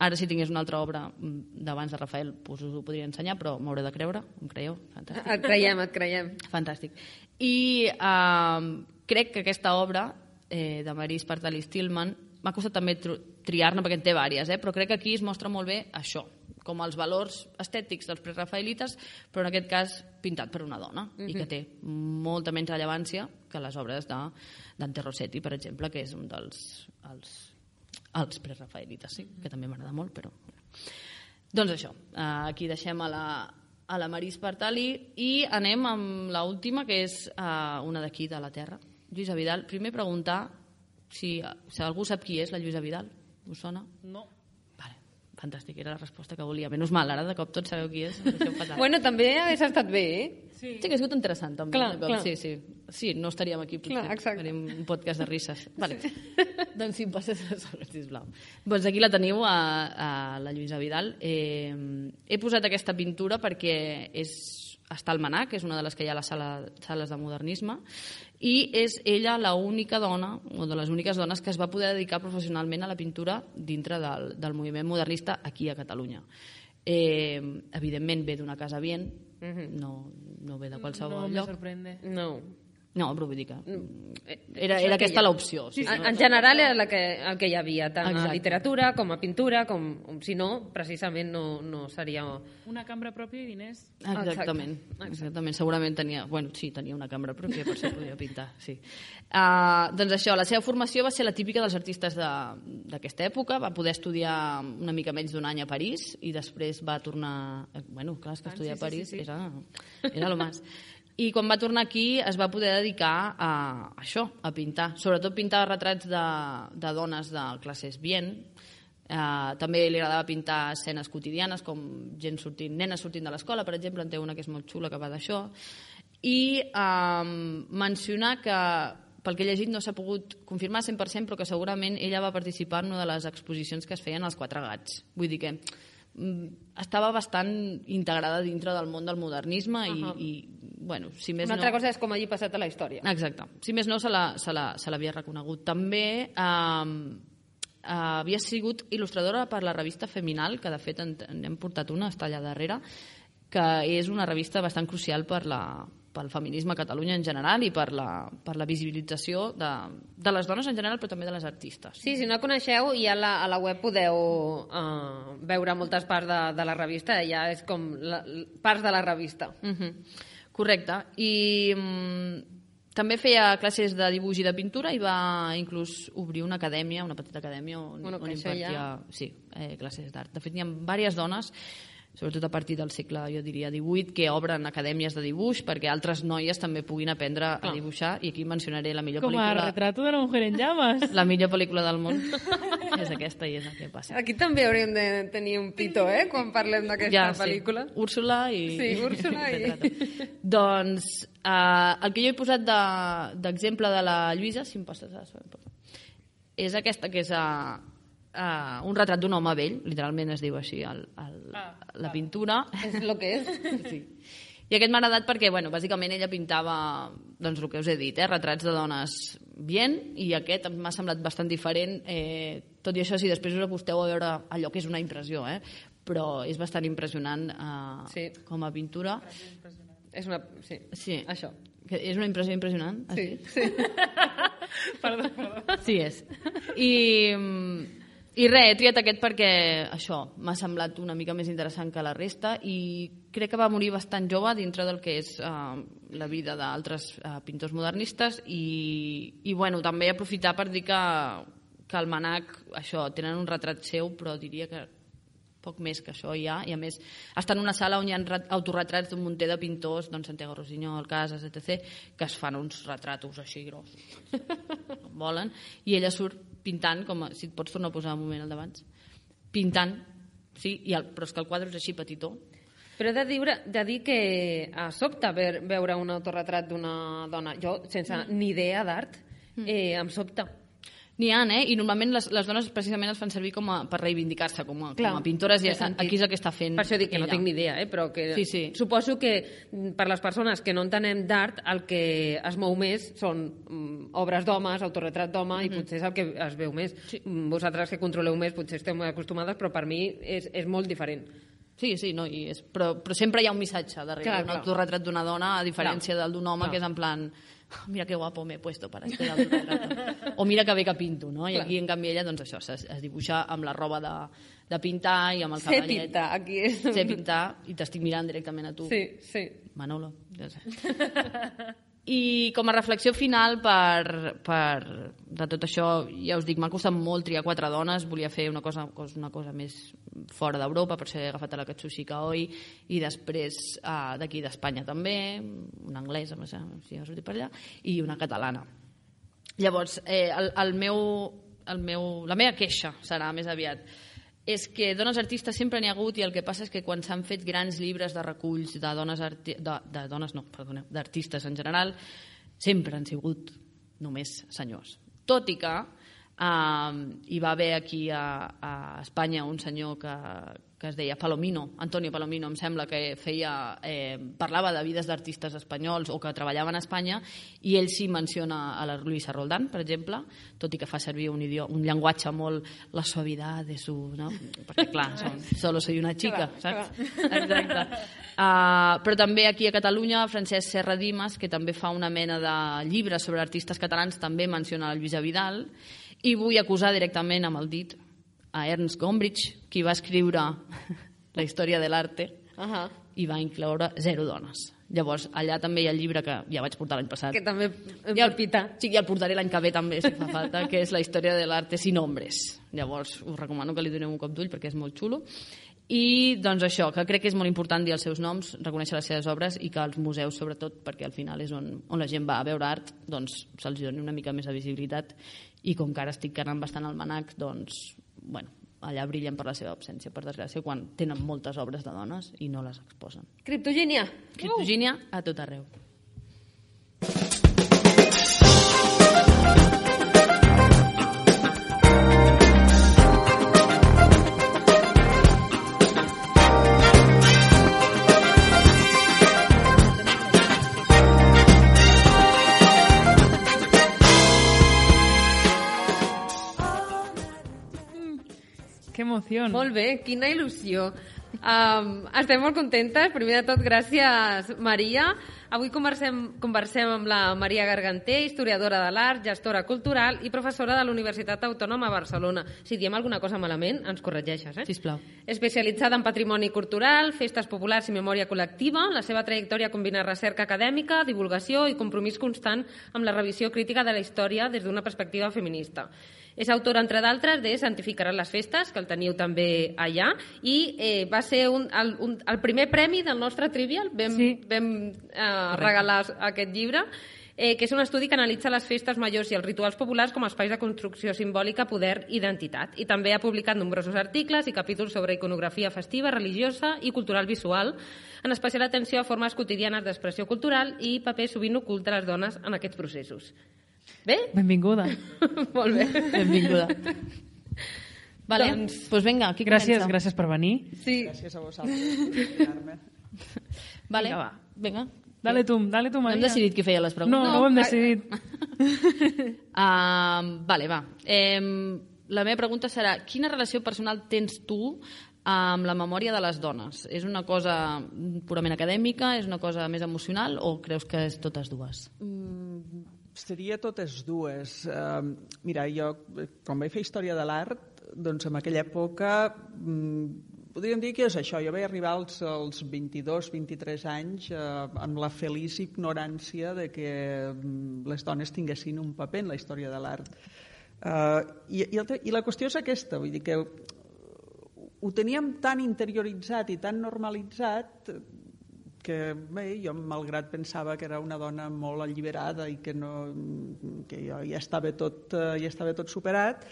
Ara, si tingués una altra obra d'abans de Rafael, doncs us ho podria ensenyar, però m'hauré de creure, em creieu? Fantàstic. Et creiem, et creiem. Fantàstic. I eh, crec que aquesta obra eh, de Marie Spartali Stillman m'ha costat també triar-ne, perquè en té diverses, eh? Però crec que aquí es mostra molt bé això, com els valors estètics dels prerafaelites, però en aquest cas pintat per una dona, uh-huh. i que té molta menys rellevància que les obres de Dante Rossetti, per exemple, que és un dels... Els, els prerafaelites, sí, que també m'agrada molt, però... Doncs això, aquí deixem a la, a la Marie Spartali i anem amb l'última, que és una d'aquí, de la Terra, Lluïsa Vidal. Primer preguntar si, si algú sap qui és la Lluïsa Vidal. Us sona? No. Vale, fantàstic, era la resposta que volia. Menys mal, ara de cop tots sabeu qui és. Bueno, també hagués estat bé, eh? Sí, sí que ha sigut interessant, també. Clar, clar. Sí, sí. Sí, no estaríem aquí, potser. Clar, exacte. Faríem un podcast de risses. Vale. Sí. Doncs si em passes el següent, sisplau. Doncs aquí la teniu, a, a la Lluïsa Vidal. Eh, he posat aquesta pintura perquè és, està al Manac, que és una de les que hi ha a les sala, sales de modernisme, i és ella l'única dona, o de les úniques dones, que es va poder dedicar professionalment a la pintura dintre del, del moviment modernista aquí a Catalunya. Eh, evidentment ve d'una casa bien, no, no ve de qualsevol no lloc. No me sorprende. No. No, però vull dir que era, era aquesta l'opció. Sí, sí, en general era la que, el que hi havia, tant Exacte. a literatura com a pintura, com si no, precisament no, no seria... Una cambra pròpia i diners. Exactament, Exacte. exactament. Segurament tenia, bueno, sí, tenia una cambra pròpia, per això podia pintar, sí. Uh, doncs això, la seva formació va ser la típica dels artistes d'aquesta època, va poder estudiar una mica menys d'un any a París i després va tornar... Bueno, clar, és que estudiar a París sí, sí, sí. era, era lo más. I quan va tornar aquí es va poder dedicar a això, a pintar. Sobretot pintar retrats de, de dones de classes bien. Eh, també li agradava pintar escenes quotidianes, com gent sortint, nenes sortint de l'escola, per exemple, en té una que és molt xula que va d'això. I eh, mencionar que, pel que he llegit, no s'ha pogut confirmar cent per cent, però que segurament ella va participar en una de les exposicions que es feien als Quatre Gats. Vull dir que estava bastant integrada dintre del món del modernisme i, uh-huh. i bueno, si més una altra no... cosa és com hagi passat a la història. Exacte. Si més no, se l'havia reconegut. També eh, havia sigut il·lustradora per la revista Feminal, que de fet en, en hem portat una, està allà darrere, que és una revista bastant crucial per la, pel feminisme a Catalunya en general i per la, per la visibilització de, de les dones en general, però també de les artistes. Sí, si no la coneixeu, ja a la, a la web podeu uh, veure moltes parts de, de la revista, ja és com la, parts de la revista. Uh-huh. Correcte. I um, també feia classes de dibuix i de pintura i va inclús obrir una acadèmia, una petita acadèmia on, bueno, on impartia ja... sí, eh, classes d'art. De fet, hi ha diverses dones, sobretot a partir del segle, jo diria, divuit, que obren acadèmies de dibuix perquè altres noies també puguin aprendre a dibuixar, i aquí mencionaré la millor Com pel·lícula... a retrato de la mujer en llamas. La millor pel·lícula del món és aquesta i és el que passa. Aquí també hauríem de tenir un pito, eh?, quan parlem d'aquesta ja, pel·lícula. Sí. Úrsula i... Sí, Úrsula i... Doncs eh, el que jo he posat d'exemple de, de la Lluïsa, si em passes a... és aquesta que és a... uh, un retrat d'un home vell, literalment es diu així el, el, ah, la ah. pintura. És el que és. Sí. I aquest m'ha agradat perquè, bueno, bàsicament ella pintava, doncs el que us he dit, eh, retrats de dones bien, i aquest m'ha semblat bastant diferent, eh, tot i això, si després us acosteu a veure allò que és una impressió, eh, però és bastant impressionant eh, sí. com a pintura. És una... Sí, sí. Això. Que és una impressió impressionant? Sí, sí. Perdó, perdó. Sí, és. I... I res, he triat aquest perquè això m'ha semblat una mica més interessant que la resta i crec que va morir bastant jove dintre del que és uh, la vida d'altres uh, pintors modernistes i, i bueno, també aprofitar per dir que, que al Manac això, tenen un retrat seu, però diria que poc més que això hi ha, i a més està en una sala on hi ha autorretrats d'un munter de pintors, doncs Santiago Rosiñol, Casas, etcètera, que es fan uns retratos així grossos, com volen, i ella surt pintant, com a, si et pots tornar a posar un moment al d'abans, pintant, sí, i el, però és que el quadre és així petitó. Però he de dir, de dir que a sobte ver, veure un autorretrat d'una dona, jo sense mm. ni idea d'art, eh, em sobta. N'hi ha, eh? I normalment les, les dones precisament es fan servir com a, per reivindicar-se com a, com a pintores, i aquí és el que està fent per això dic que ella. No tinc ni idea, eh? Però que sí, sí. suposo que per les persones que no entenem d'art el que es mou més són mm, obres d'homes, autorretrat d'home, mm-hmm. i potser és el que es veu més. Sí. Vosaltres que controleu més potser esteu molt acostumades, però per mi és, és molt diferent. Sí, sí, no, i és, però, però sempre hi ha un missatge darrere clar, un autorretrat d'una dona, a diferència clar. Del d'un home, clar. Que és en plan... mira que guapo m'he puesto para este autorretrato. O mira que bé que pinto, no? I aquí, en canvi, ella, doncs això, es, es dibuixa amb la roba de, de pintar i amb el cavallet. Sé pintar, aquí és... Sé pintar, i t'estic mirant directament a tu. Sí, sí. Manolo. Ja sé. I com a reflexió final per, per de tot això, ja us dic, m'ha costat molt triar quatre dones, volia fer una cosa, una cosa més fora d'Europa, per això he agafat a la Katsushika Oi, i després uh, d'aquí d'Espanya també, una anglesa, no sé si ja sortit per allà, i una catalana. Llavors, eh, el, el meu, el meu, la meva queixa serà més aviat és que dones artistes sempre n'hi ha hagut, i el que passa és que quan s'han fet grans llibres de reculls de dones, arti de, de dones no, perdoneu, d'artistes en general, sempre han sigut només senyors. Tot i que eh, hi va haver aquí a, a Espanya un senyor que, que es deia Palomino, Antonio Palomino, em sembla, que feia, eh, parlava de vides d'artistes espanyols o que treballaven a Espanya, i ell sí menciona a la Luisa Roldán, per exemple, tot i que fa servir un, idioma, un llenguatge molt la suavitat de su... No? Perquè, clar, som, solo soy una chica, clar, saps? Clar. Exacte. Uh, però també aquí a Catalunya, Francesc Serra Dimas, que també fa una mena de llibres sobre artistes catalans, també menciona la Lluïsa Vidal, i vull acusar directament amb el dit a Ernst Gombrich, qui va escriure la història de l'arte, uh-huh. i va incloure zero dones. Llavors, allà també hi ha el llibre que ja vaig portar l'any passat. Que també em ja, palpita. Sí, ja el portaré l'any que ve també, si fa falta, que és la història de l'arte sin hombres. Llavors, us recomano que li doneu un cop d'ull perquè és molt xulo. I, doncs, això, que crec que és molt important dir els seus noms, reconèixer les seves obres, i que els museus, sobretot, perquè al final és on, on la gent va a veure art, doncs se'ls doni una mica més de visibilitat, i com que ara estic anant bastant al Manac, doncs, bueno, allà brillen per la seva absència, per desgràcia, quan tenen moltes obres de dones i no les exposen. Criptogínia! Criptogínia uh! a tot arreu. Que emoció. Molt bé, quina il·lusió. Um, estem molt contentes. Primer de tot, gràcies, Maria. Avui conversem, conversem amb la Maria Garganter, historiadora de l'art, gestora cultural i professora de la Universitat Autònoma de Barcelona. Si diem alguna cosa malament, ens corregeixes, eh? Sisplau. Especialitzada en patrimoni cultural, festes populars i memòria col·lectiva, la seva trajectòria combina recerca acadèmica, divulgació i compromís constant amb la revisió crítica de la història des d'una perspectiva feminista. És autora, entre d'altres, de Santificaran les festes, que el teniu també allà, i eh, va ser un, el, un, el primer premi del nostre Trivial. Vam, sí. vam eh, regalar aquest llibre, eh, que és un estudi que analitza les festes majors i els rituals populars com a espais de construcció simbòlica, poder i identitat. I també ha publicat nombrosos articles i capítols sobre iconografia festiva, religiosa i cultural visual, en especial atenció a formes quotidianes d'expressió cultural i paper sovint ocult de les dones en aquests processos. Bé? Benvinguda. Molt bé. Benvinguda. Vale, Doncs- doncs pues vinga, qui Gràcies, comença? gràcies per venir. Sí. Gràcies a vosaltres per convidar-me. Vale, Vinga, va. vinga. Dale tu, dale tu, No Maria. hem decidit qui feia les preguntes. No, no ho hem decidit. Uh, vale, va. Eh, la meva pregunta serà, quina relació personal tens tu amb la memòria de les dones? És una cosa purament acadèmica, és una cosa més emocional o creus que és totes dues? Mm, seria totes dues. Uh, mira, jo, quan vaig fer Història de l'Art, doncs en aquella època mm, podríem dir que és això. Jo vaig arribar als, als vint-i-dos vint-i-tres anys eh, amb la feliç ignorància de que mm, les dones tinguessin un paper en la història de l'art. Uh, i, i, el, I la qüestió és aquesta, vull dir que ho teníem tan interioritzat i tan normalitzat que bé, jo malgrat pensava que era una dona molt alliberada i que, no, que jo ja estava tot, ja estava tot superat,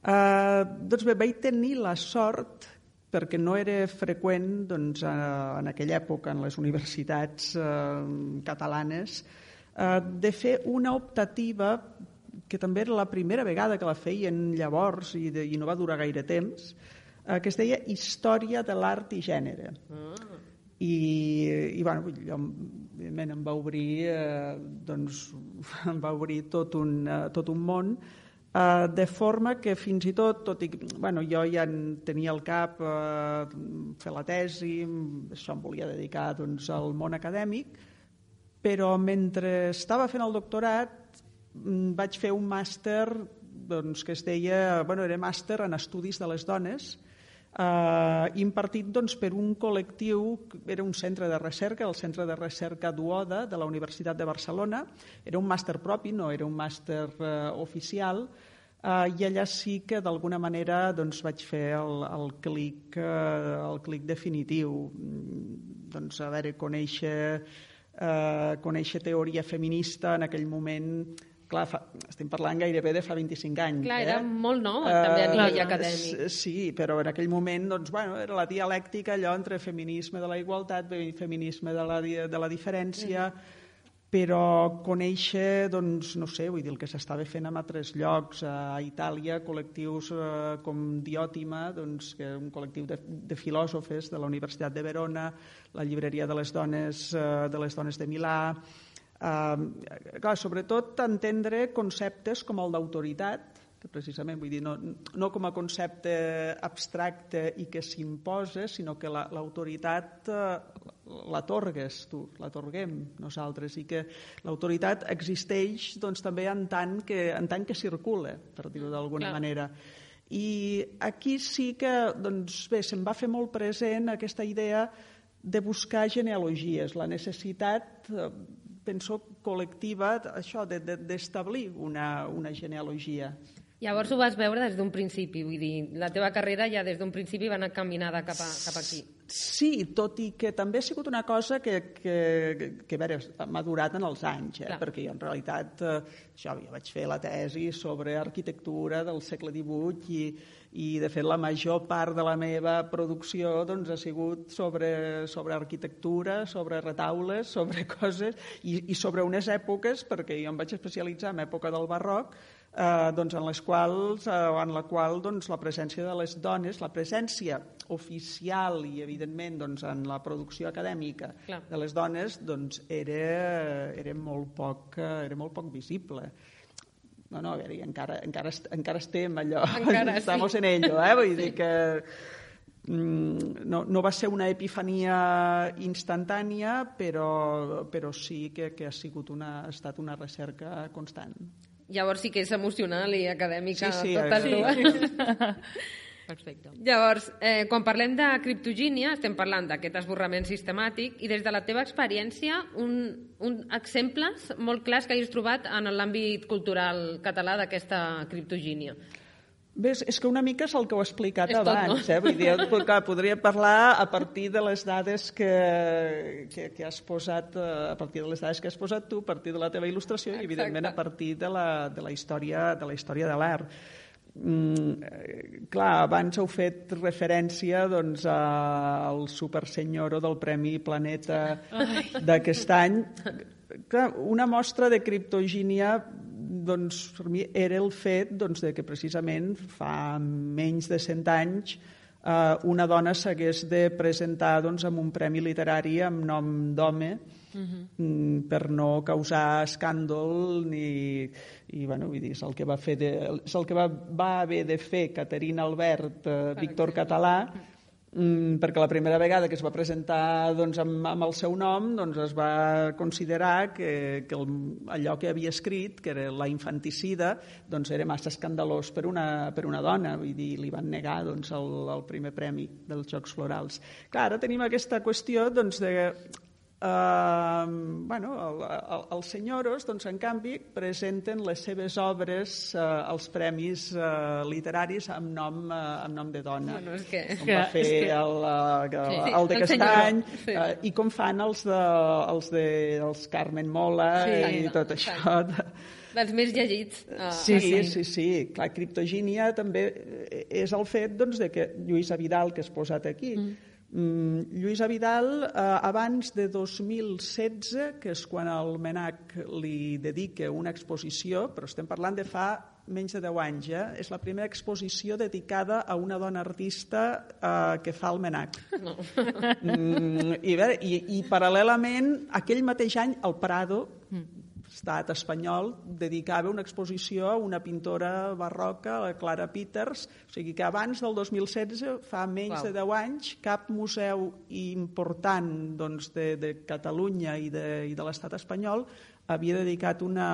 eh, doncs bé, vaig tenir la sort, perquè no era freqüent doncs, en aquella època en les universitats eh, catalanes, eh, de fer una optativa que també era la primera vegada que la feien llavors i, de, i no va durar gaire temps, que es deia Història de l'Art i Gènere. Ah. I, i bueno, jo, evidentment, em va obrir, eh, doncs, em va obrir tot un, eh, tot un món, eh, de forma que fins i tot, tot i, bueno, jo ja tenia al cap eh, fer la tesi, això em volia dedicar doncs, al món acadèmic, però mentre estava fent el doctorat vaig fer un màster doncs, que es deia, bueno, era màster en estudis de les dones, eh, impartit doncs, per un col·lectiu, era un centre de recerca, el Centre de Recerca Duoda de la Universitat de Barcelona, era un màster propi, no era un màster eh, oficial, eh, i allà sí que d'alguna manera doncs, vaig fer el, el, clic, eh, el clic definitiu, doncs, a veure, conèixer, eh, conèixer teoria feminista en aquell moment. Clar, fa, estem parlant gairebé de fa vint-i-cinc anys. Clar, eh? era molt nou, també a nivell Uh, acadèmic. Sí, però en aquell moment doncs, bueno, era la dialèctica allò entre feminisme de la igualtat, feminisme de la, de la diferència, mm. però conèixer, doncs, no sé, vull dir, el que s'estava fent en altres llocs, a Itàlia, col·lectius eh, com Diòtima, doncs, que és un col·lectiu de, de filòsofes de la Universitat de Verona, la llibreria de les dones, eh, de les dones de Milà. Uh, clar, sobretot entendre conceptes com el d'autoritat, que precisament vull dir, no, no com a concepte abstracte i que s'imposa, sinó que la, l'autoritat uh, l'atorgues tu, l'atorguem nosaltres, i que l'autoritat existeix doncs, també en tant, que, en tant que circula, per dir-ho d'alguna Clar. manera. I aquí sí que doncs, bé, se'm va fer molt present aquesta idea de buscar genealogies, la necessitat, penso, col·lectiva, això, de, de, d'establir una, una genealogia. Llavors ho vas veure des d'un principi, vull dir, la teva carrera ja des d'un principi va anar caminada cap, a, cap aquí. Sí, tot i que també ha sigut una cosa que, que, que a veure, m'ha durat en els anys, eh? perquè jo en realitat eh, això, jo vaig fer la tesi sobre arquitectura del segle divuit i, i de fet la major part de la meva producció doncs, ha sigut sobre, sobre arquitectura, sobre retaules, sobre coses i, i sobre unes èpoques, perquè jo em vaig especialitzar en època del barroc, Eh, doncs en les quals, eh, en la qual doncs, la presència de les dones, la presència oficial i evidentment doncs, en la producció acadèmica Clar. de les dones doncs, era, era, molt poc, era molt poc visible. No, no, a veure, encara, encara, encara estem allò, encara estamos sí. en ello, eh? Vull dir que no, no va ser una epifania instantània, però, però sí que, que ha, sigut una, ha estat una recerca constant. Llavors sí que és emocional i acadèmica sí, sí, totes sí. dues. Perfecte. Llavors, eh, quan parlem de criptogínia, estem parlant d'aquest esborrament sistemàtic i des de la teva experiència, un, un exemples molt clars que hagis trobat en l'àmbit cultural català d'aquesta criptogínia. Bé, és que una mica és el que ho he explicat és abans. tot, no? eh? Vull dir, clar, podria parlar a partir de les dades que, que, que has posat, a partir de les dades que has posat tu, a partir de la teva il·lustració Exacte. i, evidentment, a partir de la, de la història de la història de l'art. Mm, clar, abans heu fet referència doncs, al supersenyoro del Premi Planeta d'aquest any. Clar, una mostra de criptogínia doncs, per mi era el fet doncs, de que precisament fa menys de cent anys eh, una dona s'hagués de presentar doncs, amb un premi literari amb nom d'home, uh-huh. per no causar escàndol ni, i bueno, vull dir, és el que va fer de, és el que va, va haver de fer Caterina Albert, eh, Víctor Català, mm, perquè la primera vegada que es va presentar doncs, amb, amb el seu nom doncs, es va considerar que, que el, allò que havia escrit, que era la infanticida, doncs, era massa escandalós per una, per una dona, vull dir, li van negar doncs, el, el primer premi dels Jocs Florals. Clar, ara tenim aquesta qüestió doncs, de Uh, bueno, el, el, els senyoros, doncs, en canvi, presenten les seves obres uh, als premis uh, literaris amb nom, uh, amb nom de dona. Bueno, és que... Com va fer el, uh, sí, el de el Castany, sí. uh, i com fan els de, els de els Carmen Mola sí, i no, tot això. Dels més llegits. Uh, sí, sí, sí, sí. Clar, Criptogínia també és el fet doncs, de que Lluïsa Vidal, que has posat aquí, mm. Mm, Lluïsa Vidal, eh, abans de dos mil setze, que és quan el MNAC li dedica una exposició, però estem parlant de fa menys de deu anys, eh? És la primera exposició dedicada a una dona artista eh, que fa el MNAC. No. Mm, i, bé, i, I paral·lelament, aquell mateix any, el Prado, mm. estat espanyol, dedicava una exposició a una pintora barroca, la Clara Peters, o sigui que abans del dos mil setze, fa menys wow. de deu anys, cap museu important doncs, de, de Catalunya i de, i de l'estat espanyol havia dedicat una,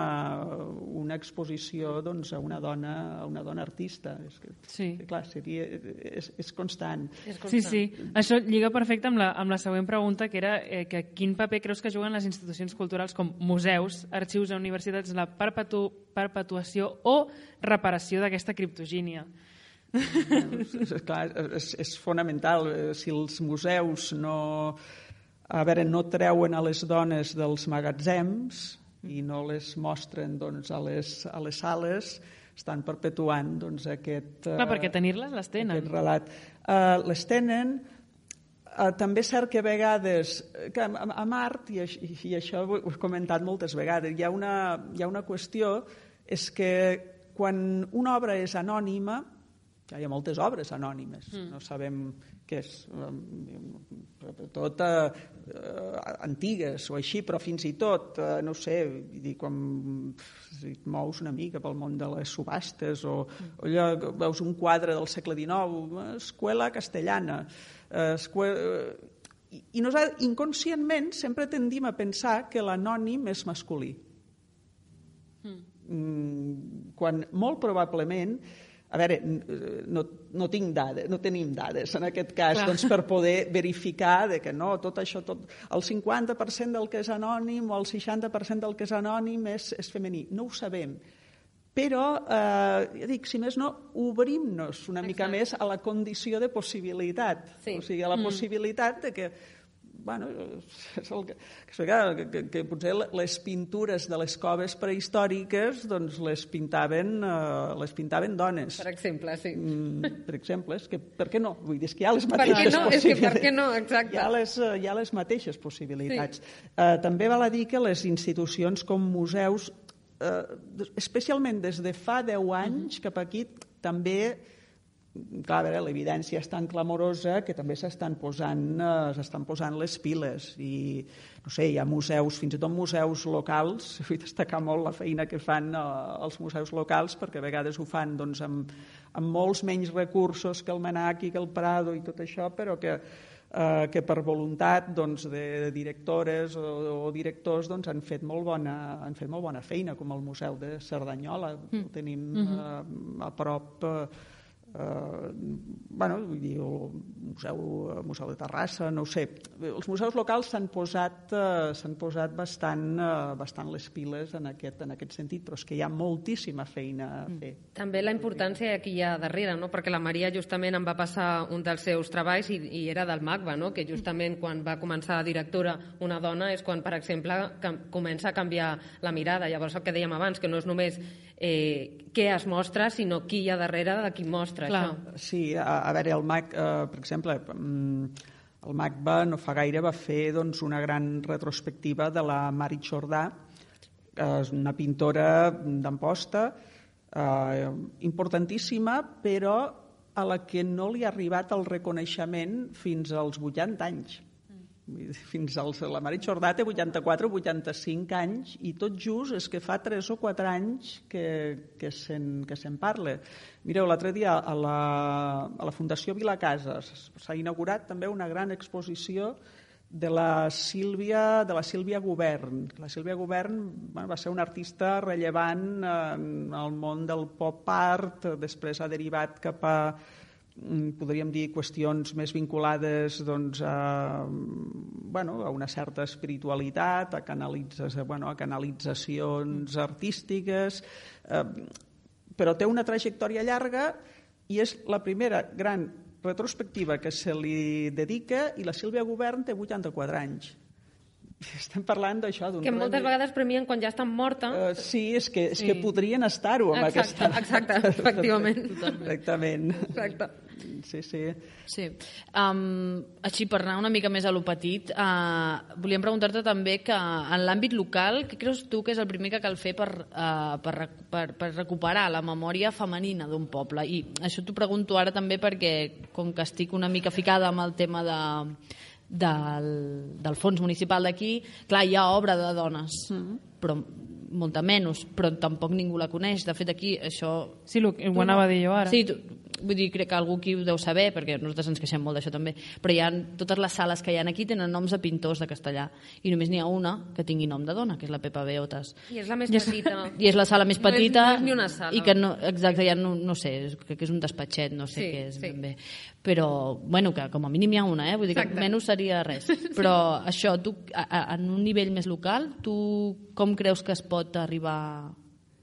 una exposició doncs, a, una dona, a una dona artista. És que, sí. que, clar, seria, és, és, constant. és constant. Sí, sí. Això lliga perfecte amb la, amb la següent pregunta, que era eh, que quin paper creus que juguen les institucions culturals com museus, arxius a universitats en la perpetu, perpetuació o reparació d'aquesta criptogínia? és, clar, és, és fonamental. Si els museus no... A veure, no treuen a les dones dels magatzems i no les mostren doncs, a, les, a les sales, estan perpetuant doncs, aquest, Clar, perquè tenir-les les tenen. Aquest relat. Uh, les tenen. Uh, també és cert que a vegades, que a, a Mart, i, i això ho he comentat moltes vegades, hi ha una, hi ha una qüestió, és que quan una obra és anònima, hi ha moltes obres anònimes, mm. no sabem què és, tot eh, antigues o així, però fins i tot, eh, no sé, vull dir, quan et mous una mica pel món de les subhastes o, mm. o allò, veus un quadre del segle dinou, Escuela Castellana, eh, escuela... I, i nosaltres inconscientment sempre tendim a pensar que l'anònim és masculí. Mm. Mm, quan molt probablement... A veure, no, no tinc dades, no tenim dades en aquest cas doncs, per poder verificar de que no, tot això, tot, el cinquanta per cent del que és anònim o el seixanta per cent del que és anònim és, és femení. No ho sabem. Però, eh, ja dic, si més no, obrim-nos una Exacte. mica més a la condició de possibilitat. Sí. O sigui, a la mm. possibilitat de que bueno, és el que, que, que, que potser les pintures de les coves prehistòriques doncs les pintaven, uh, les pintaven dones. Per exemple, sí. Mm, per exemple, és que per què no? Vull dir, és que hi ha les mateixes no? possibilitats. És que per què no? Exacte. Hi ha les, hi ha les mateixes possibilitats. Sí. Uh, també val a dir que les institucions com museus, uh, especialment des de fa deu anys cap aquí, també... Clar, a veure, l'evidència és tan clamorosa que també s'estan posant, eh, s'estan posant les piles i, no sé, hi ha museus, fins i tot museus locals, vull destacar molt la feina que fan eh, els museus locals perquè a vegades ho fan doncs, amb, amb molts menys recursos que el MNAC i que el Prado i tot això, però que, eh, que per voluntat doncs, de, de directores o, o directors doncs, han, fet molt bona, han fet molt bona feina, com el Museu de Cerdanyola, mm. ho tenim eh, a prop... Eh, Uh, bueno, vull dir, el museu, el museu de Terrassa, no ho sé. Els museus locals s'han posat, uh, s'han posat bastant, uh, bastant les piles en aquest, en aquest sentit, però és que hi ha moltíssima feina a fer. També la importància que hi ha darrere, no? Perquè la Maria justament em va passar un dels seus treballs i, i era del MACBA, no? Que justament quan va començar directora una dona és quan, per exemple, comença a canviar la mirada. Llavors el que dèiem abans, que no és només eh, què es mostra, sinó qui hi ha darrere de qui mostra. Clar. Això. Sí, a, a veure, el MAC, eh, per exemple, el MACBA no fa gaire va fer doncs, una gran retrospectiva de la Mari Jordà, és una pintora d'Amposta, eh, importantíssima, però a la que no li ha arribat el reconeixement fins als vuitanta anys. Fins als, la Mari Jordà té vuitanta-quatre o vuitanta-cinc anys i tot just és que fa tres o quatre anys que, que se'n que se'n parla. Mireu, l'altre dia a la, a la Fundació Vilacases s'ha inaugurat també una gran exposició de la Sílvia, de la Sílvia Govern. La Sílvia Govern bueno, va ser una artista rellevant en el món del pop art, després ha derivat cap a podríem dir qüestions més vinculades doncs, a, bueno, a una certa espiritualitat, a, bueno, a canalitzacions artístiques, eh, però té una trajectòria llarga i és la primera gran retrospectiva que se li dedica i la Sílvia Govern té vuitanta-quatre anys. Estem parlant d'això d'un... Que moltes vegades premien quan ja estan morta. Uh, sí, és que, és sí. que podrien estar-ho amb exacte, aquesta... Exacte, efectivament. Exactament. Exacte. Sí, sí. sí. Um, així, per anar una mica més a lo petit, uh, volíem preguntar-te també que en l'àmbit local, què creus tu que és el primer que cal fer per, uh, per, per, per recuperar la memòria femenina d'un poble? I això t'ho pregunto ara també perquè, com que estic una mica ficada amb el tema de... Del, del fons municipal d'aquí, clar, hi ha obra de dones, mm-hmm. però molta menys, però tampoc ningú la coneix. De fet, aquí això... Sí, ho, ho anava a dir jo ara. Sí, tu, vull dir, crec que algú aquí ho deu saber, perquè nosaltres ens queixem molt d'això també, però hi ha, totes les sales que hi ha aquí tenen noms de pintors de castellà, i només n'hi ha una que tingui nom de dona, que és la Pepa Beotes. I és la més petita. I és la sala més petita. No és, no és ni una sala. I que no, exacte, ja no, no sé, crec que és un despatxet, no sé sí, què és sí. ben bé. Però, bueno, que com a mínim hi ha una, eh? Vull dir que exacte. Menys seria res. Però això, tu, a, a, en un nivell més local, tu com creus que es pot arribar...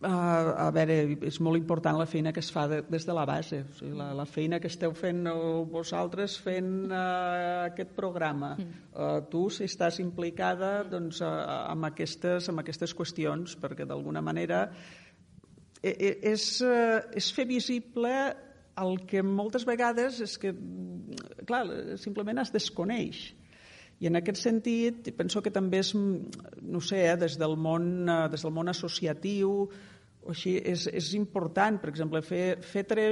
Uh, a veure, és molt important la feina que es fa de, des de la base. O sigui, la, la feina que esteu fent vosaltres fent uh, aquest programa. Uh, tu, si estàs implicada doncs, uh, amb, aquestes, amb aquestes qüestions, perquè d'alguna manera és, uh, és fer visible el que moltes vegades és que, clar, simplement es desconeix. I en aquest sentit, penso que també és, no sé, eh, des del món, uh, des del món associatiu, o així, és, és important, per exemple, fer, fer tre,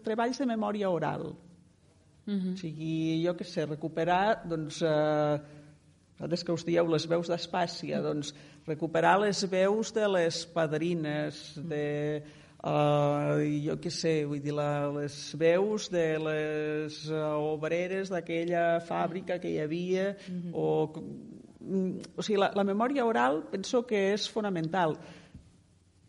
treballs de memòria oral. Uh-huh. O sigui, jo què sé, recuperar, doncs, eh, des que us dieu les veus d'Espàcia, doncs, recuperar les veus de les padrines, de, eh, jo què sé, vull dir, la, les veus de les uh, obreres d'aquella fàbrica que hi havia, uh-huh. o, o sigui, la, la memòria oral penso que és fonamental.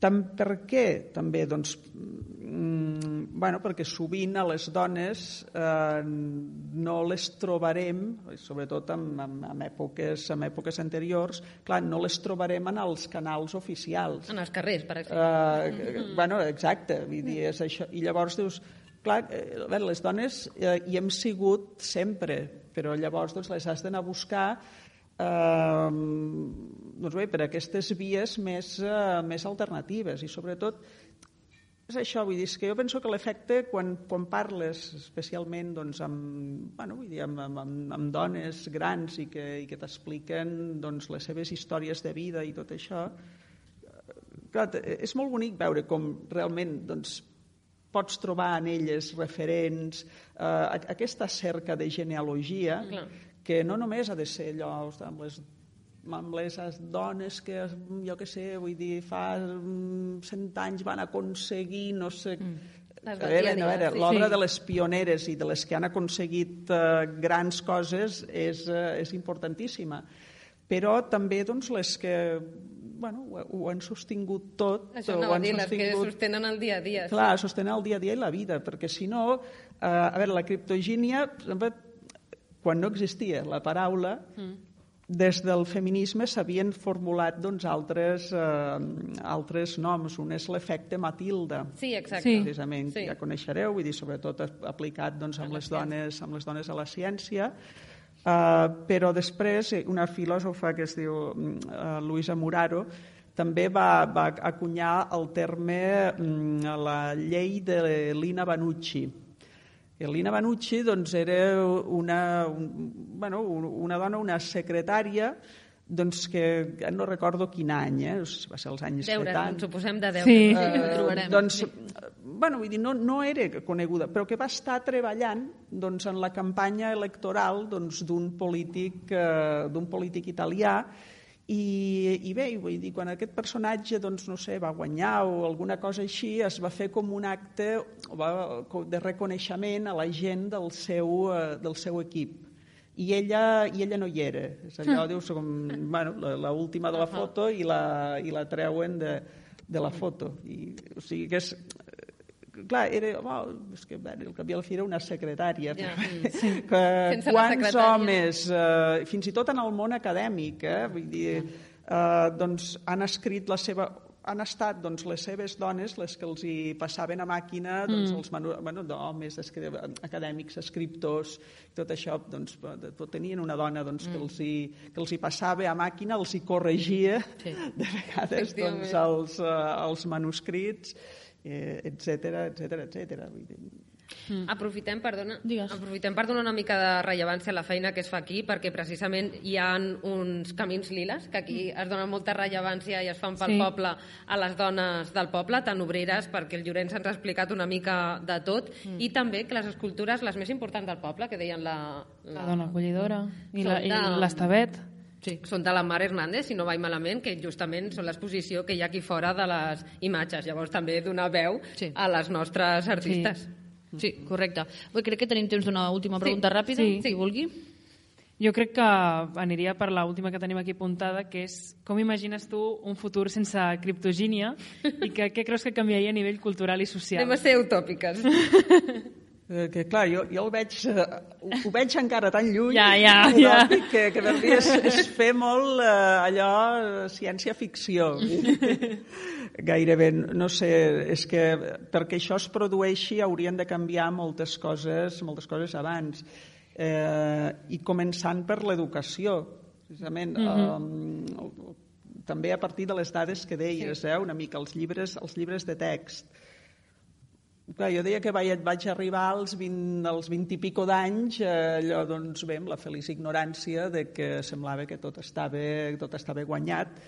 Tam, per què? També, doncs, mm, bueno, perquè sovint a les dones eh, no les trobarem, sobretot en, en, en, èpoques, en èpoques anteriors, clar, no les trobarem en els canals oficials. En els carrers, per exemple. Eh, mm-hmm. Bueno, exacte, vull dir, és això. I llavors dius, clar, eh, les dones eh, hi hem sigut sempre, però llavors doncs, les has d'anar a buscar Uh, doncs bé, per aquestes vies més, uh, més alternatives i sobretot és això, vull dir, és que jo penso que l'efecte quan, quan parles especialment doncs, amb, bueno, vull dir, amb, amb, amb dones grans i que, i que t'expliquen doncs, les seves històries de vida i tot això, clar, és molt bonic veure com realment doncs, pots trobar en elles referents, uh, aquesta cerca de genealogia. Clar. Que no només ha de ser allò amb les, amb les dones que, jo què sé, vull dir, fa cent anys van aconseguir, no sé... Mm. A veure, a veure, l'obra sí. de les pioneres i de les que han aconseguit uh, grans coses és, uh, és importantíssima. Però també doncs, les que bueno, ho, ho han sostingut tot. Això no, dir, les que sostenen el dia a dia. Clar, sí. sostenen el dia a dia i la vida, perquè si no, uh, a veure, la criptogínia, quan no existia la paraula, mm. des del feminisme s'havien formulat doncs, altres, eh, altres noms. Un és l'efecte Matilda. Sí, exacte. Sí. Precisament, sí. ja coneixereu, vull dir, sobretot aplicat doncs, amb, les dones, amb les dones a la ciència. Uh, però després una filòsofa que es diu uh, Luisa Muraro també va, va acunyar el terme um, la llei de Lina Banucci. Lina Banucci doncs, era una, un, bueno, una dona, una secretària doncs que no recordo quin any, eh? Va ser els anys Deures, setanta. ens ho posem de deures. Sí. Ho trobarem. Doncs, bueno, vull dir, no, no era coneguda, però que va estar treballant doncs, en la campanya electoral doncs, d'un polític, eh, d'un polític italià. I, i bé, vull dir, quan aquest personatge doncs, no sé, va guanyar o alguna cosa així, es va fer com un acte de reconeixement a la gent del seu, del seu equip. I ella, i ella no hi era. És allò, dius, com bueno, l'última de la foto i la, i la treuen de, de la foto. I, o sigui que és... Clar, era, oh, és que bé, el cap i a la fi era una secretària. Ja. Sí. Que, Sense la quants secretària. homes, eh, fins i tot en el món acadèmic, eh, vull dir, eh, doncs han escrit la seva... han estat doncs, les seves dones les que els hi passaven a màquina doncs, els manu... bueno, homes acadèmics, escriptors, tot això, doncs, tenien una dona doncs, que, els hi, que els hi passava a màquina, els hi corregia sí. de vegades doncs, els, uh, els manuscrits, eh, etcètera, etcètera, etcètera. Vull dir... Mm. Aprofitem, perdona, Digues. aprofitem per donar una mica de rellevància a la feina que es fa aquí, perquè precisament hi ha uns camins liles, que aquí es dona molta rellevància i es fan pel Sí. poble a les dones del poble, tan obreres, perquè el Llorenç ens ha explicat una mica de tot, mm. i també que les escultures, les més importants del poble, que deien la... La dona acollidora i la- Són i de- l'Estavet. Sí, són de la Mar Hernández, si no vaig malament, que justament són l'exposició que hi ha aquí fora de les imatges. Llavors també donar veu Sí. a les nostres artistes. Sí, correcte. Bé, crec que tenim temps d'una última pregunta Sí, ràpida, sí. si vulgui. Jo crec que aniria per l'última que tenim aquí apuntada, que és com imagines tu un futur sense criptogínia i que, què creus que canviaria a nivell cultural i social? Anem a ser utòpiques. Eh, que clar, jo, jo el veig, eh, ho, ho veig encara tan lluny, Ja, ja, utòpic, ja. que, que per mi és, és fer molt eh, allò, eh, ciència-ficció. Gairebé, no sé, és que perquè això es produeixi haurien de canviar moltes coses, moltes coses abans. Eh, I començant per l'educació, precisament. Mm-hmm. eh, també a partir de les dades que deies, eh, una mica, els llibres, els llibres de text. Clar, jo deia que vaig, vaig arribar als vint, als vint i pico d'anys, eh, allò, doncs bé, amb la feliç ignorància de que semblava que tot estava, tot estava guanyat,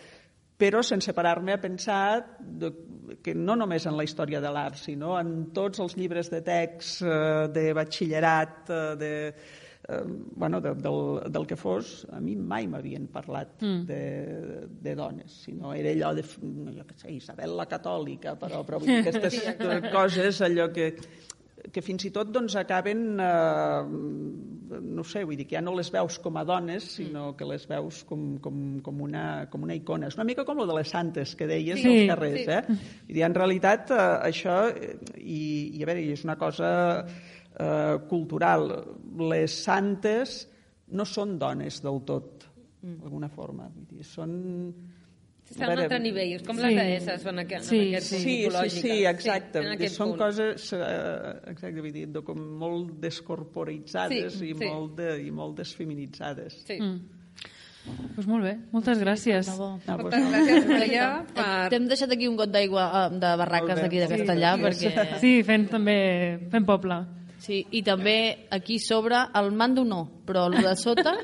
però sense parar-me a pensar de, que no només en la història de l'art, sinó en tots els llibres de text, eh, de batxillerat, eh, de, eh, bueno, de, del, del que fos, a mi mai m'havien parlat mm. de, de dones, sinó era allò de, jo què sé, Isabel la Catòlica, però, però vull dir, aquestes coses, allò que, que fins i tot doncs, acaben, eh, no sé, vull dir que ja no les veus com a dones, sinó que les veus com, com, com, una, com una icona. És una mica com lo de les santes que deies Sí. als carrers, Sí. eh? Vull dir, en realitat, eh, això, i, i a veure, és una cosa eh, cultural. Les santes no són dones del tot, d'alguna forma. Vull dir, són... Estan a un altre nivell, és com Sí. les deesses en aquest, Sí, en aquest Sí, punt sí, tipològiques. sí, exacte. en Vull dir, aquest són punt. coses eh, exacte, vull dir, com molt descorporitzades Sí, i, sí. molt de, i molt desfeminitzades. Sí. Mm. Pues molt bé, moltes gràcies. De bo. Ah, doncs, Moltes gràcies, Maria, per... T'hem deixat aquí un got d'aigua eh, de barraques Molt bé. d'aquí de Castellà, perquè... Sí, fent també fent poble. Sí, i també aquí sobre el mando no, però el de sota...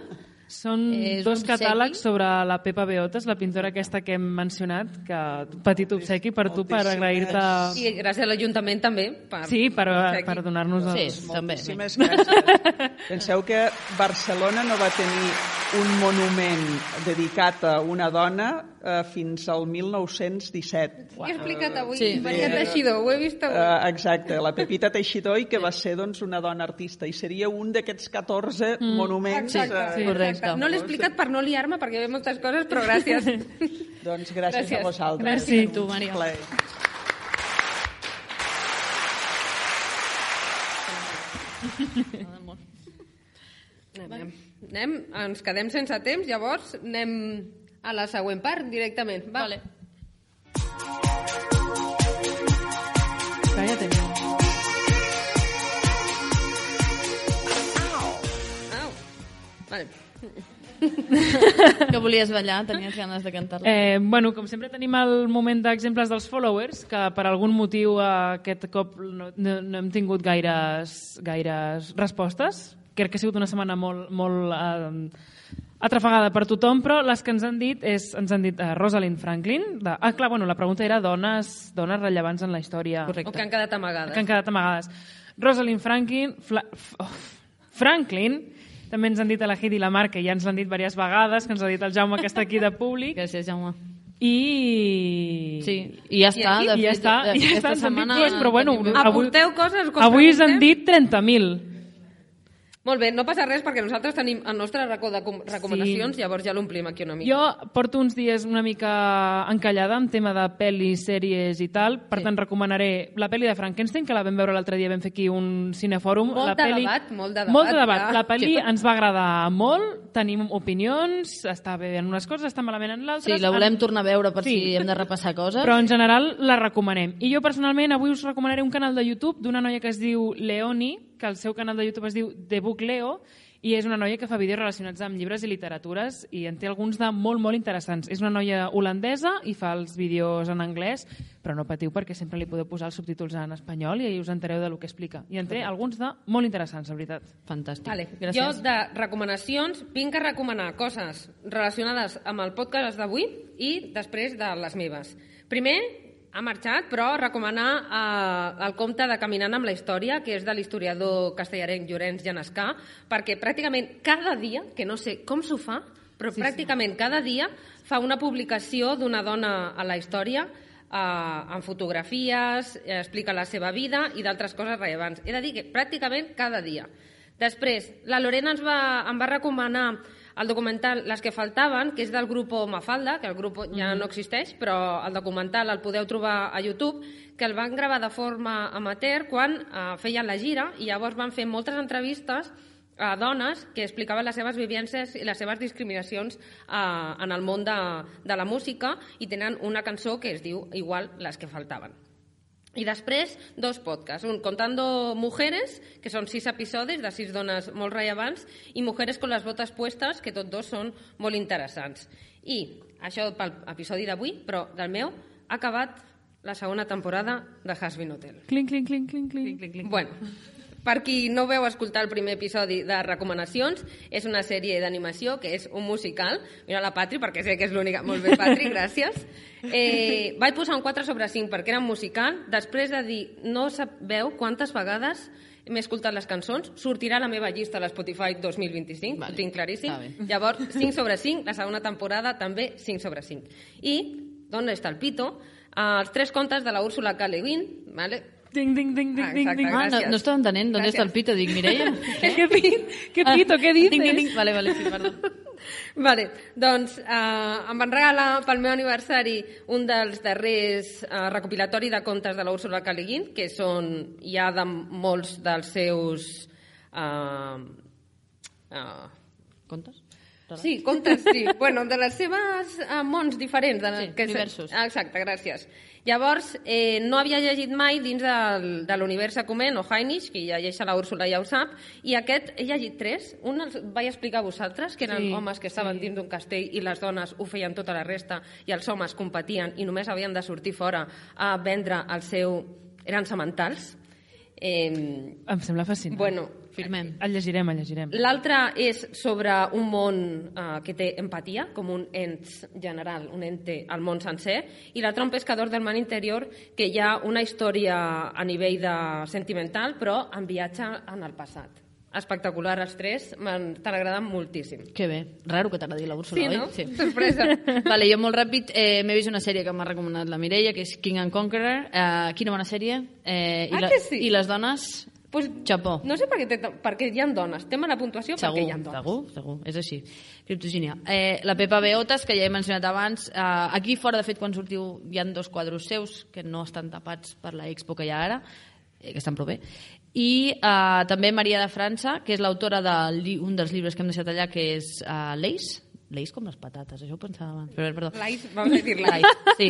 Són És dos un catàlegs obsequi. sobre la Pepa Beotes, la pintora aquesta que hem mencionat, que petit obsequi per tu, per Moltíssimes. agrair-te... I gràcies a l'Ajuntament també. Per... Sí, per, Aquí. per donar-nos Sí, els... també. Moltíssimes gràcies. Penseu que Barcelona no va tenir un monument dedicat a una dona eh, fins al mil nou-cents disset. Ho he explicat avui, Sí. Maria Teixidor, ho he vist avui. Uh, exacte, la Pepita Teixidor, i que va ser doncs, una dona artista, i seria un d'aquests catorze mm. monuments. Exacte, eh, sí, correcte. No l'he explicat per no liar-me, perquè hi ha moltes coses, però gràcies. Doncs gràcies, Gràcies. a vosaltres. Gràcies a tu, Maria. Un plaer. Anem, anem, ens quedem sense temps, llavors anem a la següent part directament. Va. Vale. Que ja tenim. Au. Vale. Que volies ballar, tenies ganes de cantar-la. Eh, bueno, com sempre tenim el moment d'exemples dels followers, que per algun motiu eh, aquest cop no, no, no hem tingut gaires, gaires respostes. Crec que ha sigut una setmana molt, molt, eh, Altra vegada per tothom, però les que ens han dit és, ens han dit uh, Rosalind Franklin. De, ah, clar, bueno, la pregunta era dones, dones rellevants en la història. Correcte. O que han quedat amagades. Que han quedat amagades. Rosalind Franklin, Fla, oh, Franklin, també ens han dit a la Hit i la Mar, que ja ens l'han dit diverses vegades, que ens ha dit el Jaume, que està aquí de públic. Gràcies, Jaume. I... Sí, i ja està. aquí? De I ja fet, està, aquesta ja està, ens han dit setmana dues, però bueno, tenim- avui, Aporteu coses quan avui us han preguntem? dit trenta mil. Molt bé, no passa res perquè nosaltres tenim el nostre racó de com- recomanacions, sí. Llavors ja l'omplim aquí una mica. Jo porto uns dies una mica encallada en tema de pel·lis, sèries i tal, per Sí. tant recomanaré la pel·li de Frankenstein, que la vam veure l'altre dia, vam fer aquí un cinefòrum. Molt la de pel·li... debat, molt de debat, Molt de debat. ja. La pel·li ens va agradar molt, tenim opinions, està bé en unes coses, està malament en l'altres. Sí, la volem tornar a veure per Sí. si hem de repassar coses. Però en general la recomanem. I jo personalment avui us recomanaré un canal de YouTube d'una noia que es diu Leoni, que el seu canal de YouTube es diu The Book Leo, i és una noia que fa vídeos relacionats amb llibres i literatures i en té alguns de molt, molt interessants. És una noia holandesa i fa els vídeos en anglès, però no patiu perquè sempre li podeu posar els subtítols en espanyol i us entereu del que explica. I en té alguns de molt interessants, la veritat. Fantàstic. Vale. Gràcies. Jo, de recomanacions, vinc a recomanar coses relacionades amb el podcast d'avui i després de les meves. Primer, ha marxat, però recomanar eh, el conte de Caminant amb la història, que és de l'historiador castellarenc Llorenç Genescà, perquè pràcticament cada dia, que no sé com s'ho fa, però sí, pràcticament sí. cada dia fa una publicació d'una dona a la història eh, amb fotografies, eh, explica la seva vida i d'altres coses rellevants. He de dir que pràcticament cada dia. Després, la Lorena ens va, em va recomanar el documental Les que faltaven, que és del grup Mafalda, que el grup ja no existeix, però el documental el podeu trobar a YouTube, que el van gravar de forma amateur quan eh, feien la gira i llavors van fer moltes entrevistes a dones que explicaven les seves vivències i les seves discriminacions eh, en el món de, de la música i tenen una cançó que es diu igual Les que faltaven. I després, dos podcasts. Un, Contando Mujeres, que són sis episodis de sis dones molt rellevants, i Mujeres con las botas puestas, que tots dos són molt interessants. I això pel episodi d'avui, però del meu, ha acabat la segona temporada de Hazbin Hotel. Clinc, clinc, clinc, clinc, clinc. Clinc, clinc. Bueno, per qui no veu escoltar el primer episodi de recomanacions, és una sèrie d'animació que és un musical. Mira la Patri, perquè sé que és l'única. Molt bé, Patri, gràcies. Eh, vaig posar un quatre sobre cinc perquè era un musical. Després de dir, no sabeu quantes vegades m'he escoltat les cançons, sortirà la meva llista a l'Spotify dos mil vint-i-cinc, vale, ho tinc claríssim. Llavors, cinc sobre cinc, la segona temporada també cinc sobre cinc. I, d'on està el pito? Els tres contes de la Úrsula K. Le Guin, vale? Ding, ding, ding, ding, Ah, ding, exacte, ding. Ah, no, gràcies. no estava entenent d'on Gràcies. està el pito. Dic, Mireia? ¿Qué, pi- qué pito? ¿Qué dices? Ding, ding, ding. Vale, vale, sí, perdó. Vale, doncs eh, em van regalar pel meu aniversari un dels darrers eh, recopilatori de contes de la Úrsula K. Le Guin, que són ja de molts dels seus... Eh, eh, Contes? Sí, contes, sí. Bueno, de les seves eh, mons diferents. De, Sí, que universos. Ah, exacte, gràcies. Llavors, eh, no havia llegit mai dins del, de l'univers Acumen o Heinrich, que llegeix a la Úrsula ja ho sap, i aquest he llegit tres. Un els vaig explicar a vosaltres, que eren Sí, homes que estaven sí. dins d'un castell i les dones ho feien tota la resta, i els homes competien i només havien de sortir fora a vendre el seu... Eren sementals. Eh, Em sembla fascinant. bueno, Firmem. El llegirem, el llegirem. l'altre és sobre un món eh, que té empatia, com un ens general, un ente al món sencer, i l'altre un pescador del mar interior, que hi ha una història a nivell de sentimental, però en viatge en el passat. Espectacular, els tres, m'han- t'han agradat moltíssim. Que bé. Raro que t'agradi la Úrsula, Sí, oi? no? Sorpresa. Vale, jo molt ràpid eh, m'he vist una sèrie que m'ha recomanat la Mireia, que és King and Conqueror. Eh, quina bona sèrie. Eh, i, Ah, la, que sí? I les dones, Pues, xapó. no sé per què, té, perquè hi ha dones. Té mala puntuació Segur, perquè hi ha dones. segur, segur, és així. Criptogínia. Eh, la Pepa Beotes, que ja he mencionat abans, eh, aquí fora, de fet, quan sortiu, hi ha dos quadros seus que no estan tapats per la expo que hi ha ara, eh, que estan prou bé. I eh, també Maria de França, que és l'autora d'un de, un dels llibres que hem deixat allà, que és eh, L'Eix. L'Eix com les patates, això ho pensava abans. Però, perdó. Lais, vamos a dir lais. Lais, sí.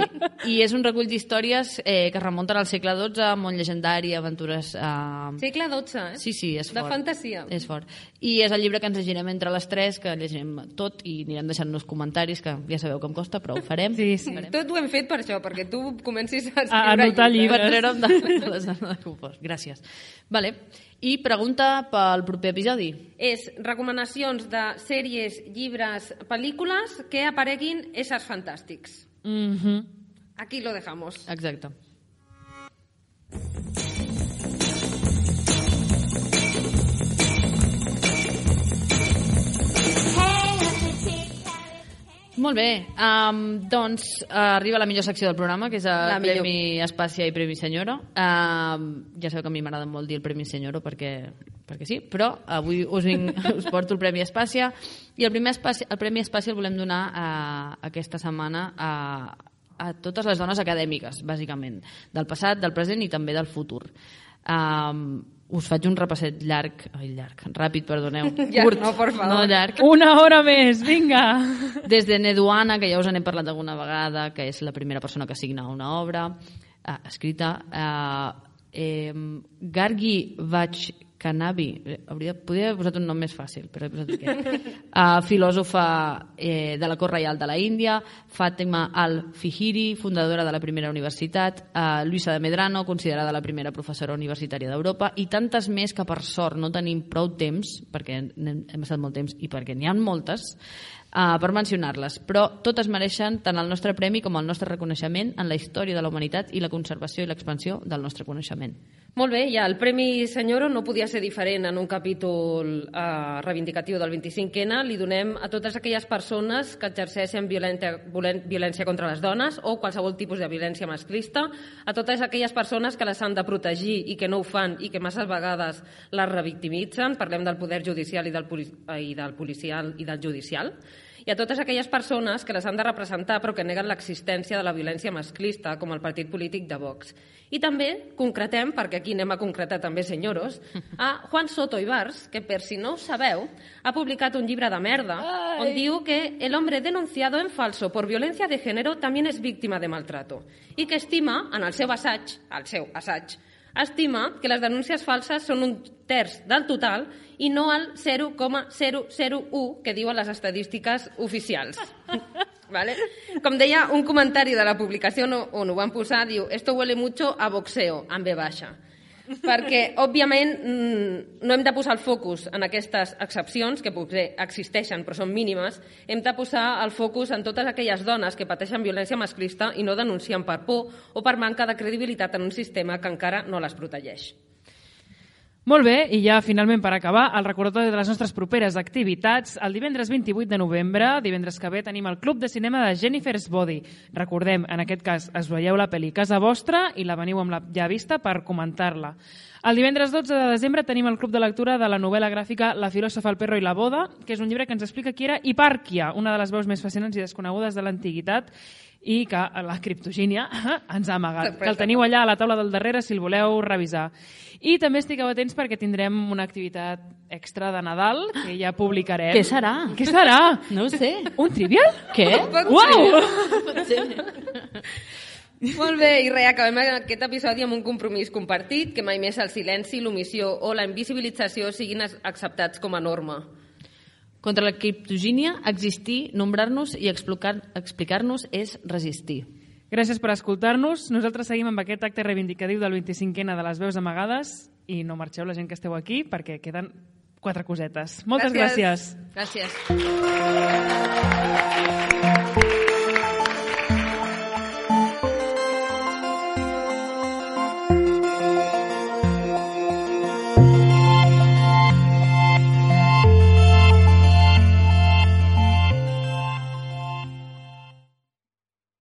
I és un recull d'històries eh, que es remunten al segle dotze, món llegendari, aventures... Eh... Segle dotze, eh? Sí, sí, és De fort. fantasia. És fort. I és el llibre que ens llegirem entre les tres, que llegirem tot i anirem deixant-nos comentaris, que ja sabeu com costa, però ho farem. Sí, sí. Tot ho hem fet per això, perquè tu comencis a A escriure anotar Per llibres. treure'm de, de la zona de confort. Gràcies. Vale. I pregunta pel proper episodi. És recomanacions de sèries, llibres, pel·lícules que apareguin éssers fantàstics. Mhm. Aquí lo dejamos. Exacte. Molt bé, um, doncs uh, arriba la millor secció del programa, que és el Premi Espàcia i Premi Senyora. Um, ja sabeu que a mi m'agrada molt dir el Premi Senyora perquè, perquè sí, però avui us, vinc, us porto el Premi Espàcia i el, primer Espàcia, el Premi Espàcia el volem donar uh, aquesta setmana a, a totes les dones acadèmiques, bàsicament, del passat, del present i també del futur. Um, us faig un repasset llarg, ai, llarg, ràpid, perdoneu. Ja, curt, no, por favor. no llarg. Una hora més, vinga! Des de Neduana, que ja us n'he parlat alguna vegada, que és la primera persona que signa una obra eh, escrita, eh, eh, Gargi Vachkanavi, hauria, podria haver posat un nom més fàcil, però he posat aquest, uh, filòsofa eh, de la cort reial de la Índia, Fàtima al-Fihiri, fundadora de la primera universitat, uh, Luisa de Medrano, considerada la primera professora universitària d'Europa, i tantes més que per sort no tenim prou temps, perquè hem, hem estat molt temps i perquè n'hi ha moltes, uh, per mencionar-les, però totes mereixen tant el nostre premi com el nostre reconeixement en la història de la humanitat i la conservació i l'expansió del nostre coneixement. Molt bé, ja el Premi Senyoro no podia ser diferent en un capítol eh, reivindicatiu del vint-i-cinc ene. Li donem a totes aquelles persones que exerceixen violència, violència contra les dones o qualsevol tipus de violència masclista, a totes aquelles persones que les han de protegir i que no ho fan i que massa vegades les revictimitzen, parlem del poder judicial i del, poli i del policial i del judicial, i a totes aquelles persones que les han de representar però que neguen l'existència de la violència masclista, com el partit polític de Vox. I també concretem, perquè aquí anem a concretar també, senyoros, a Juan Soto Ibars, que per si no ho sabeu, ha publicat un llibre de merda on diu que el hombre denunciado en falso por violencia de género también es víctima de maltrato i que estima, en el seu assaig, el seu assaig, estima que les denúncies falses són un terç del total i no el zero coma zero zero u que diuen les estadístiques oficials. ¿Vale? Com deia un comentari de la publicació on ho van posar, diu «Esto huele mucho a boxeo», amb B baixa. Perquè, òbviament, no hem de posar el focus en aquestes excepcions, que potser existeixen però són mínimes, hem de posar el focus en totes aquelles dones que pateixen violència masclista i no denuncien per por o per manca de credibilitat en un sistema que encara no les protegeix. Molt bé, i ja finalment per acabar, el recordatori de les nostres properes activitats. El divendres vint-i-vuit de novembre, divendres que ve, tenim el Club de Cinema de Jennifer's Body. Recordem, en aquest cas, es veieu la pel·li casa vostra i la veniu amb la ja vista per comentar-la. El divendres dotze de desembre tenim el Club de Lectura de la novel·la gràfica La filòsofa, el perro i la boda, que és un llibre que ens explica qui era Hipàrquia, una de les veus més fascinants i desconegudes de l'antiguitat, i que la criptogínia ens ha amagat. Que el teniu allà a la taula del darrere si el voleu revisar. I també estigueu atents perquè tindrem una activitat extra de Nadal que ja publicarem. Què serà? Què serà? No ho sé. Un trivial? Què? Uau! Pot ser. Molt bé, i res, acabem aquest episodi amb un compromís compartit, que mai més el silenci, l'omissió o la invisibilització siguin acceptats com a norma. Contra la criptogínia, existir, nombrar-nos i explicar-nos és resistir. Gràcies per escoltar-nos. Nosaltres seguim amb aquest acte reivindicatiu del vint-i-cinc ene de les veus amagades i no marxeu la gent que esteu aquí perquè queden quatre cosetes. Moltes gràcies. Gràcies. Gràcies.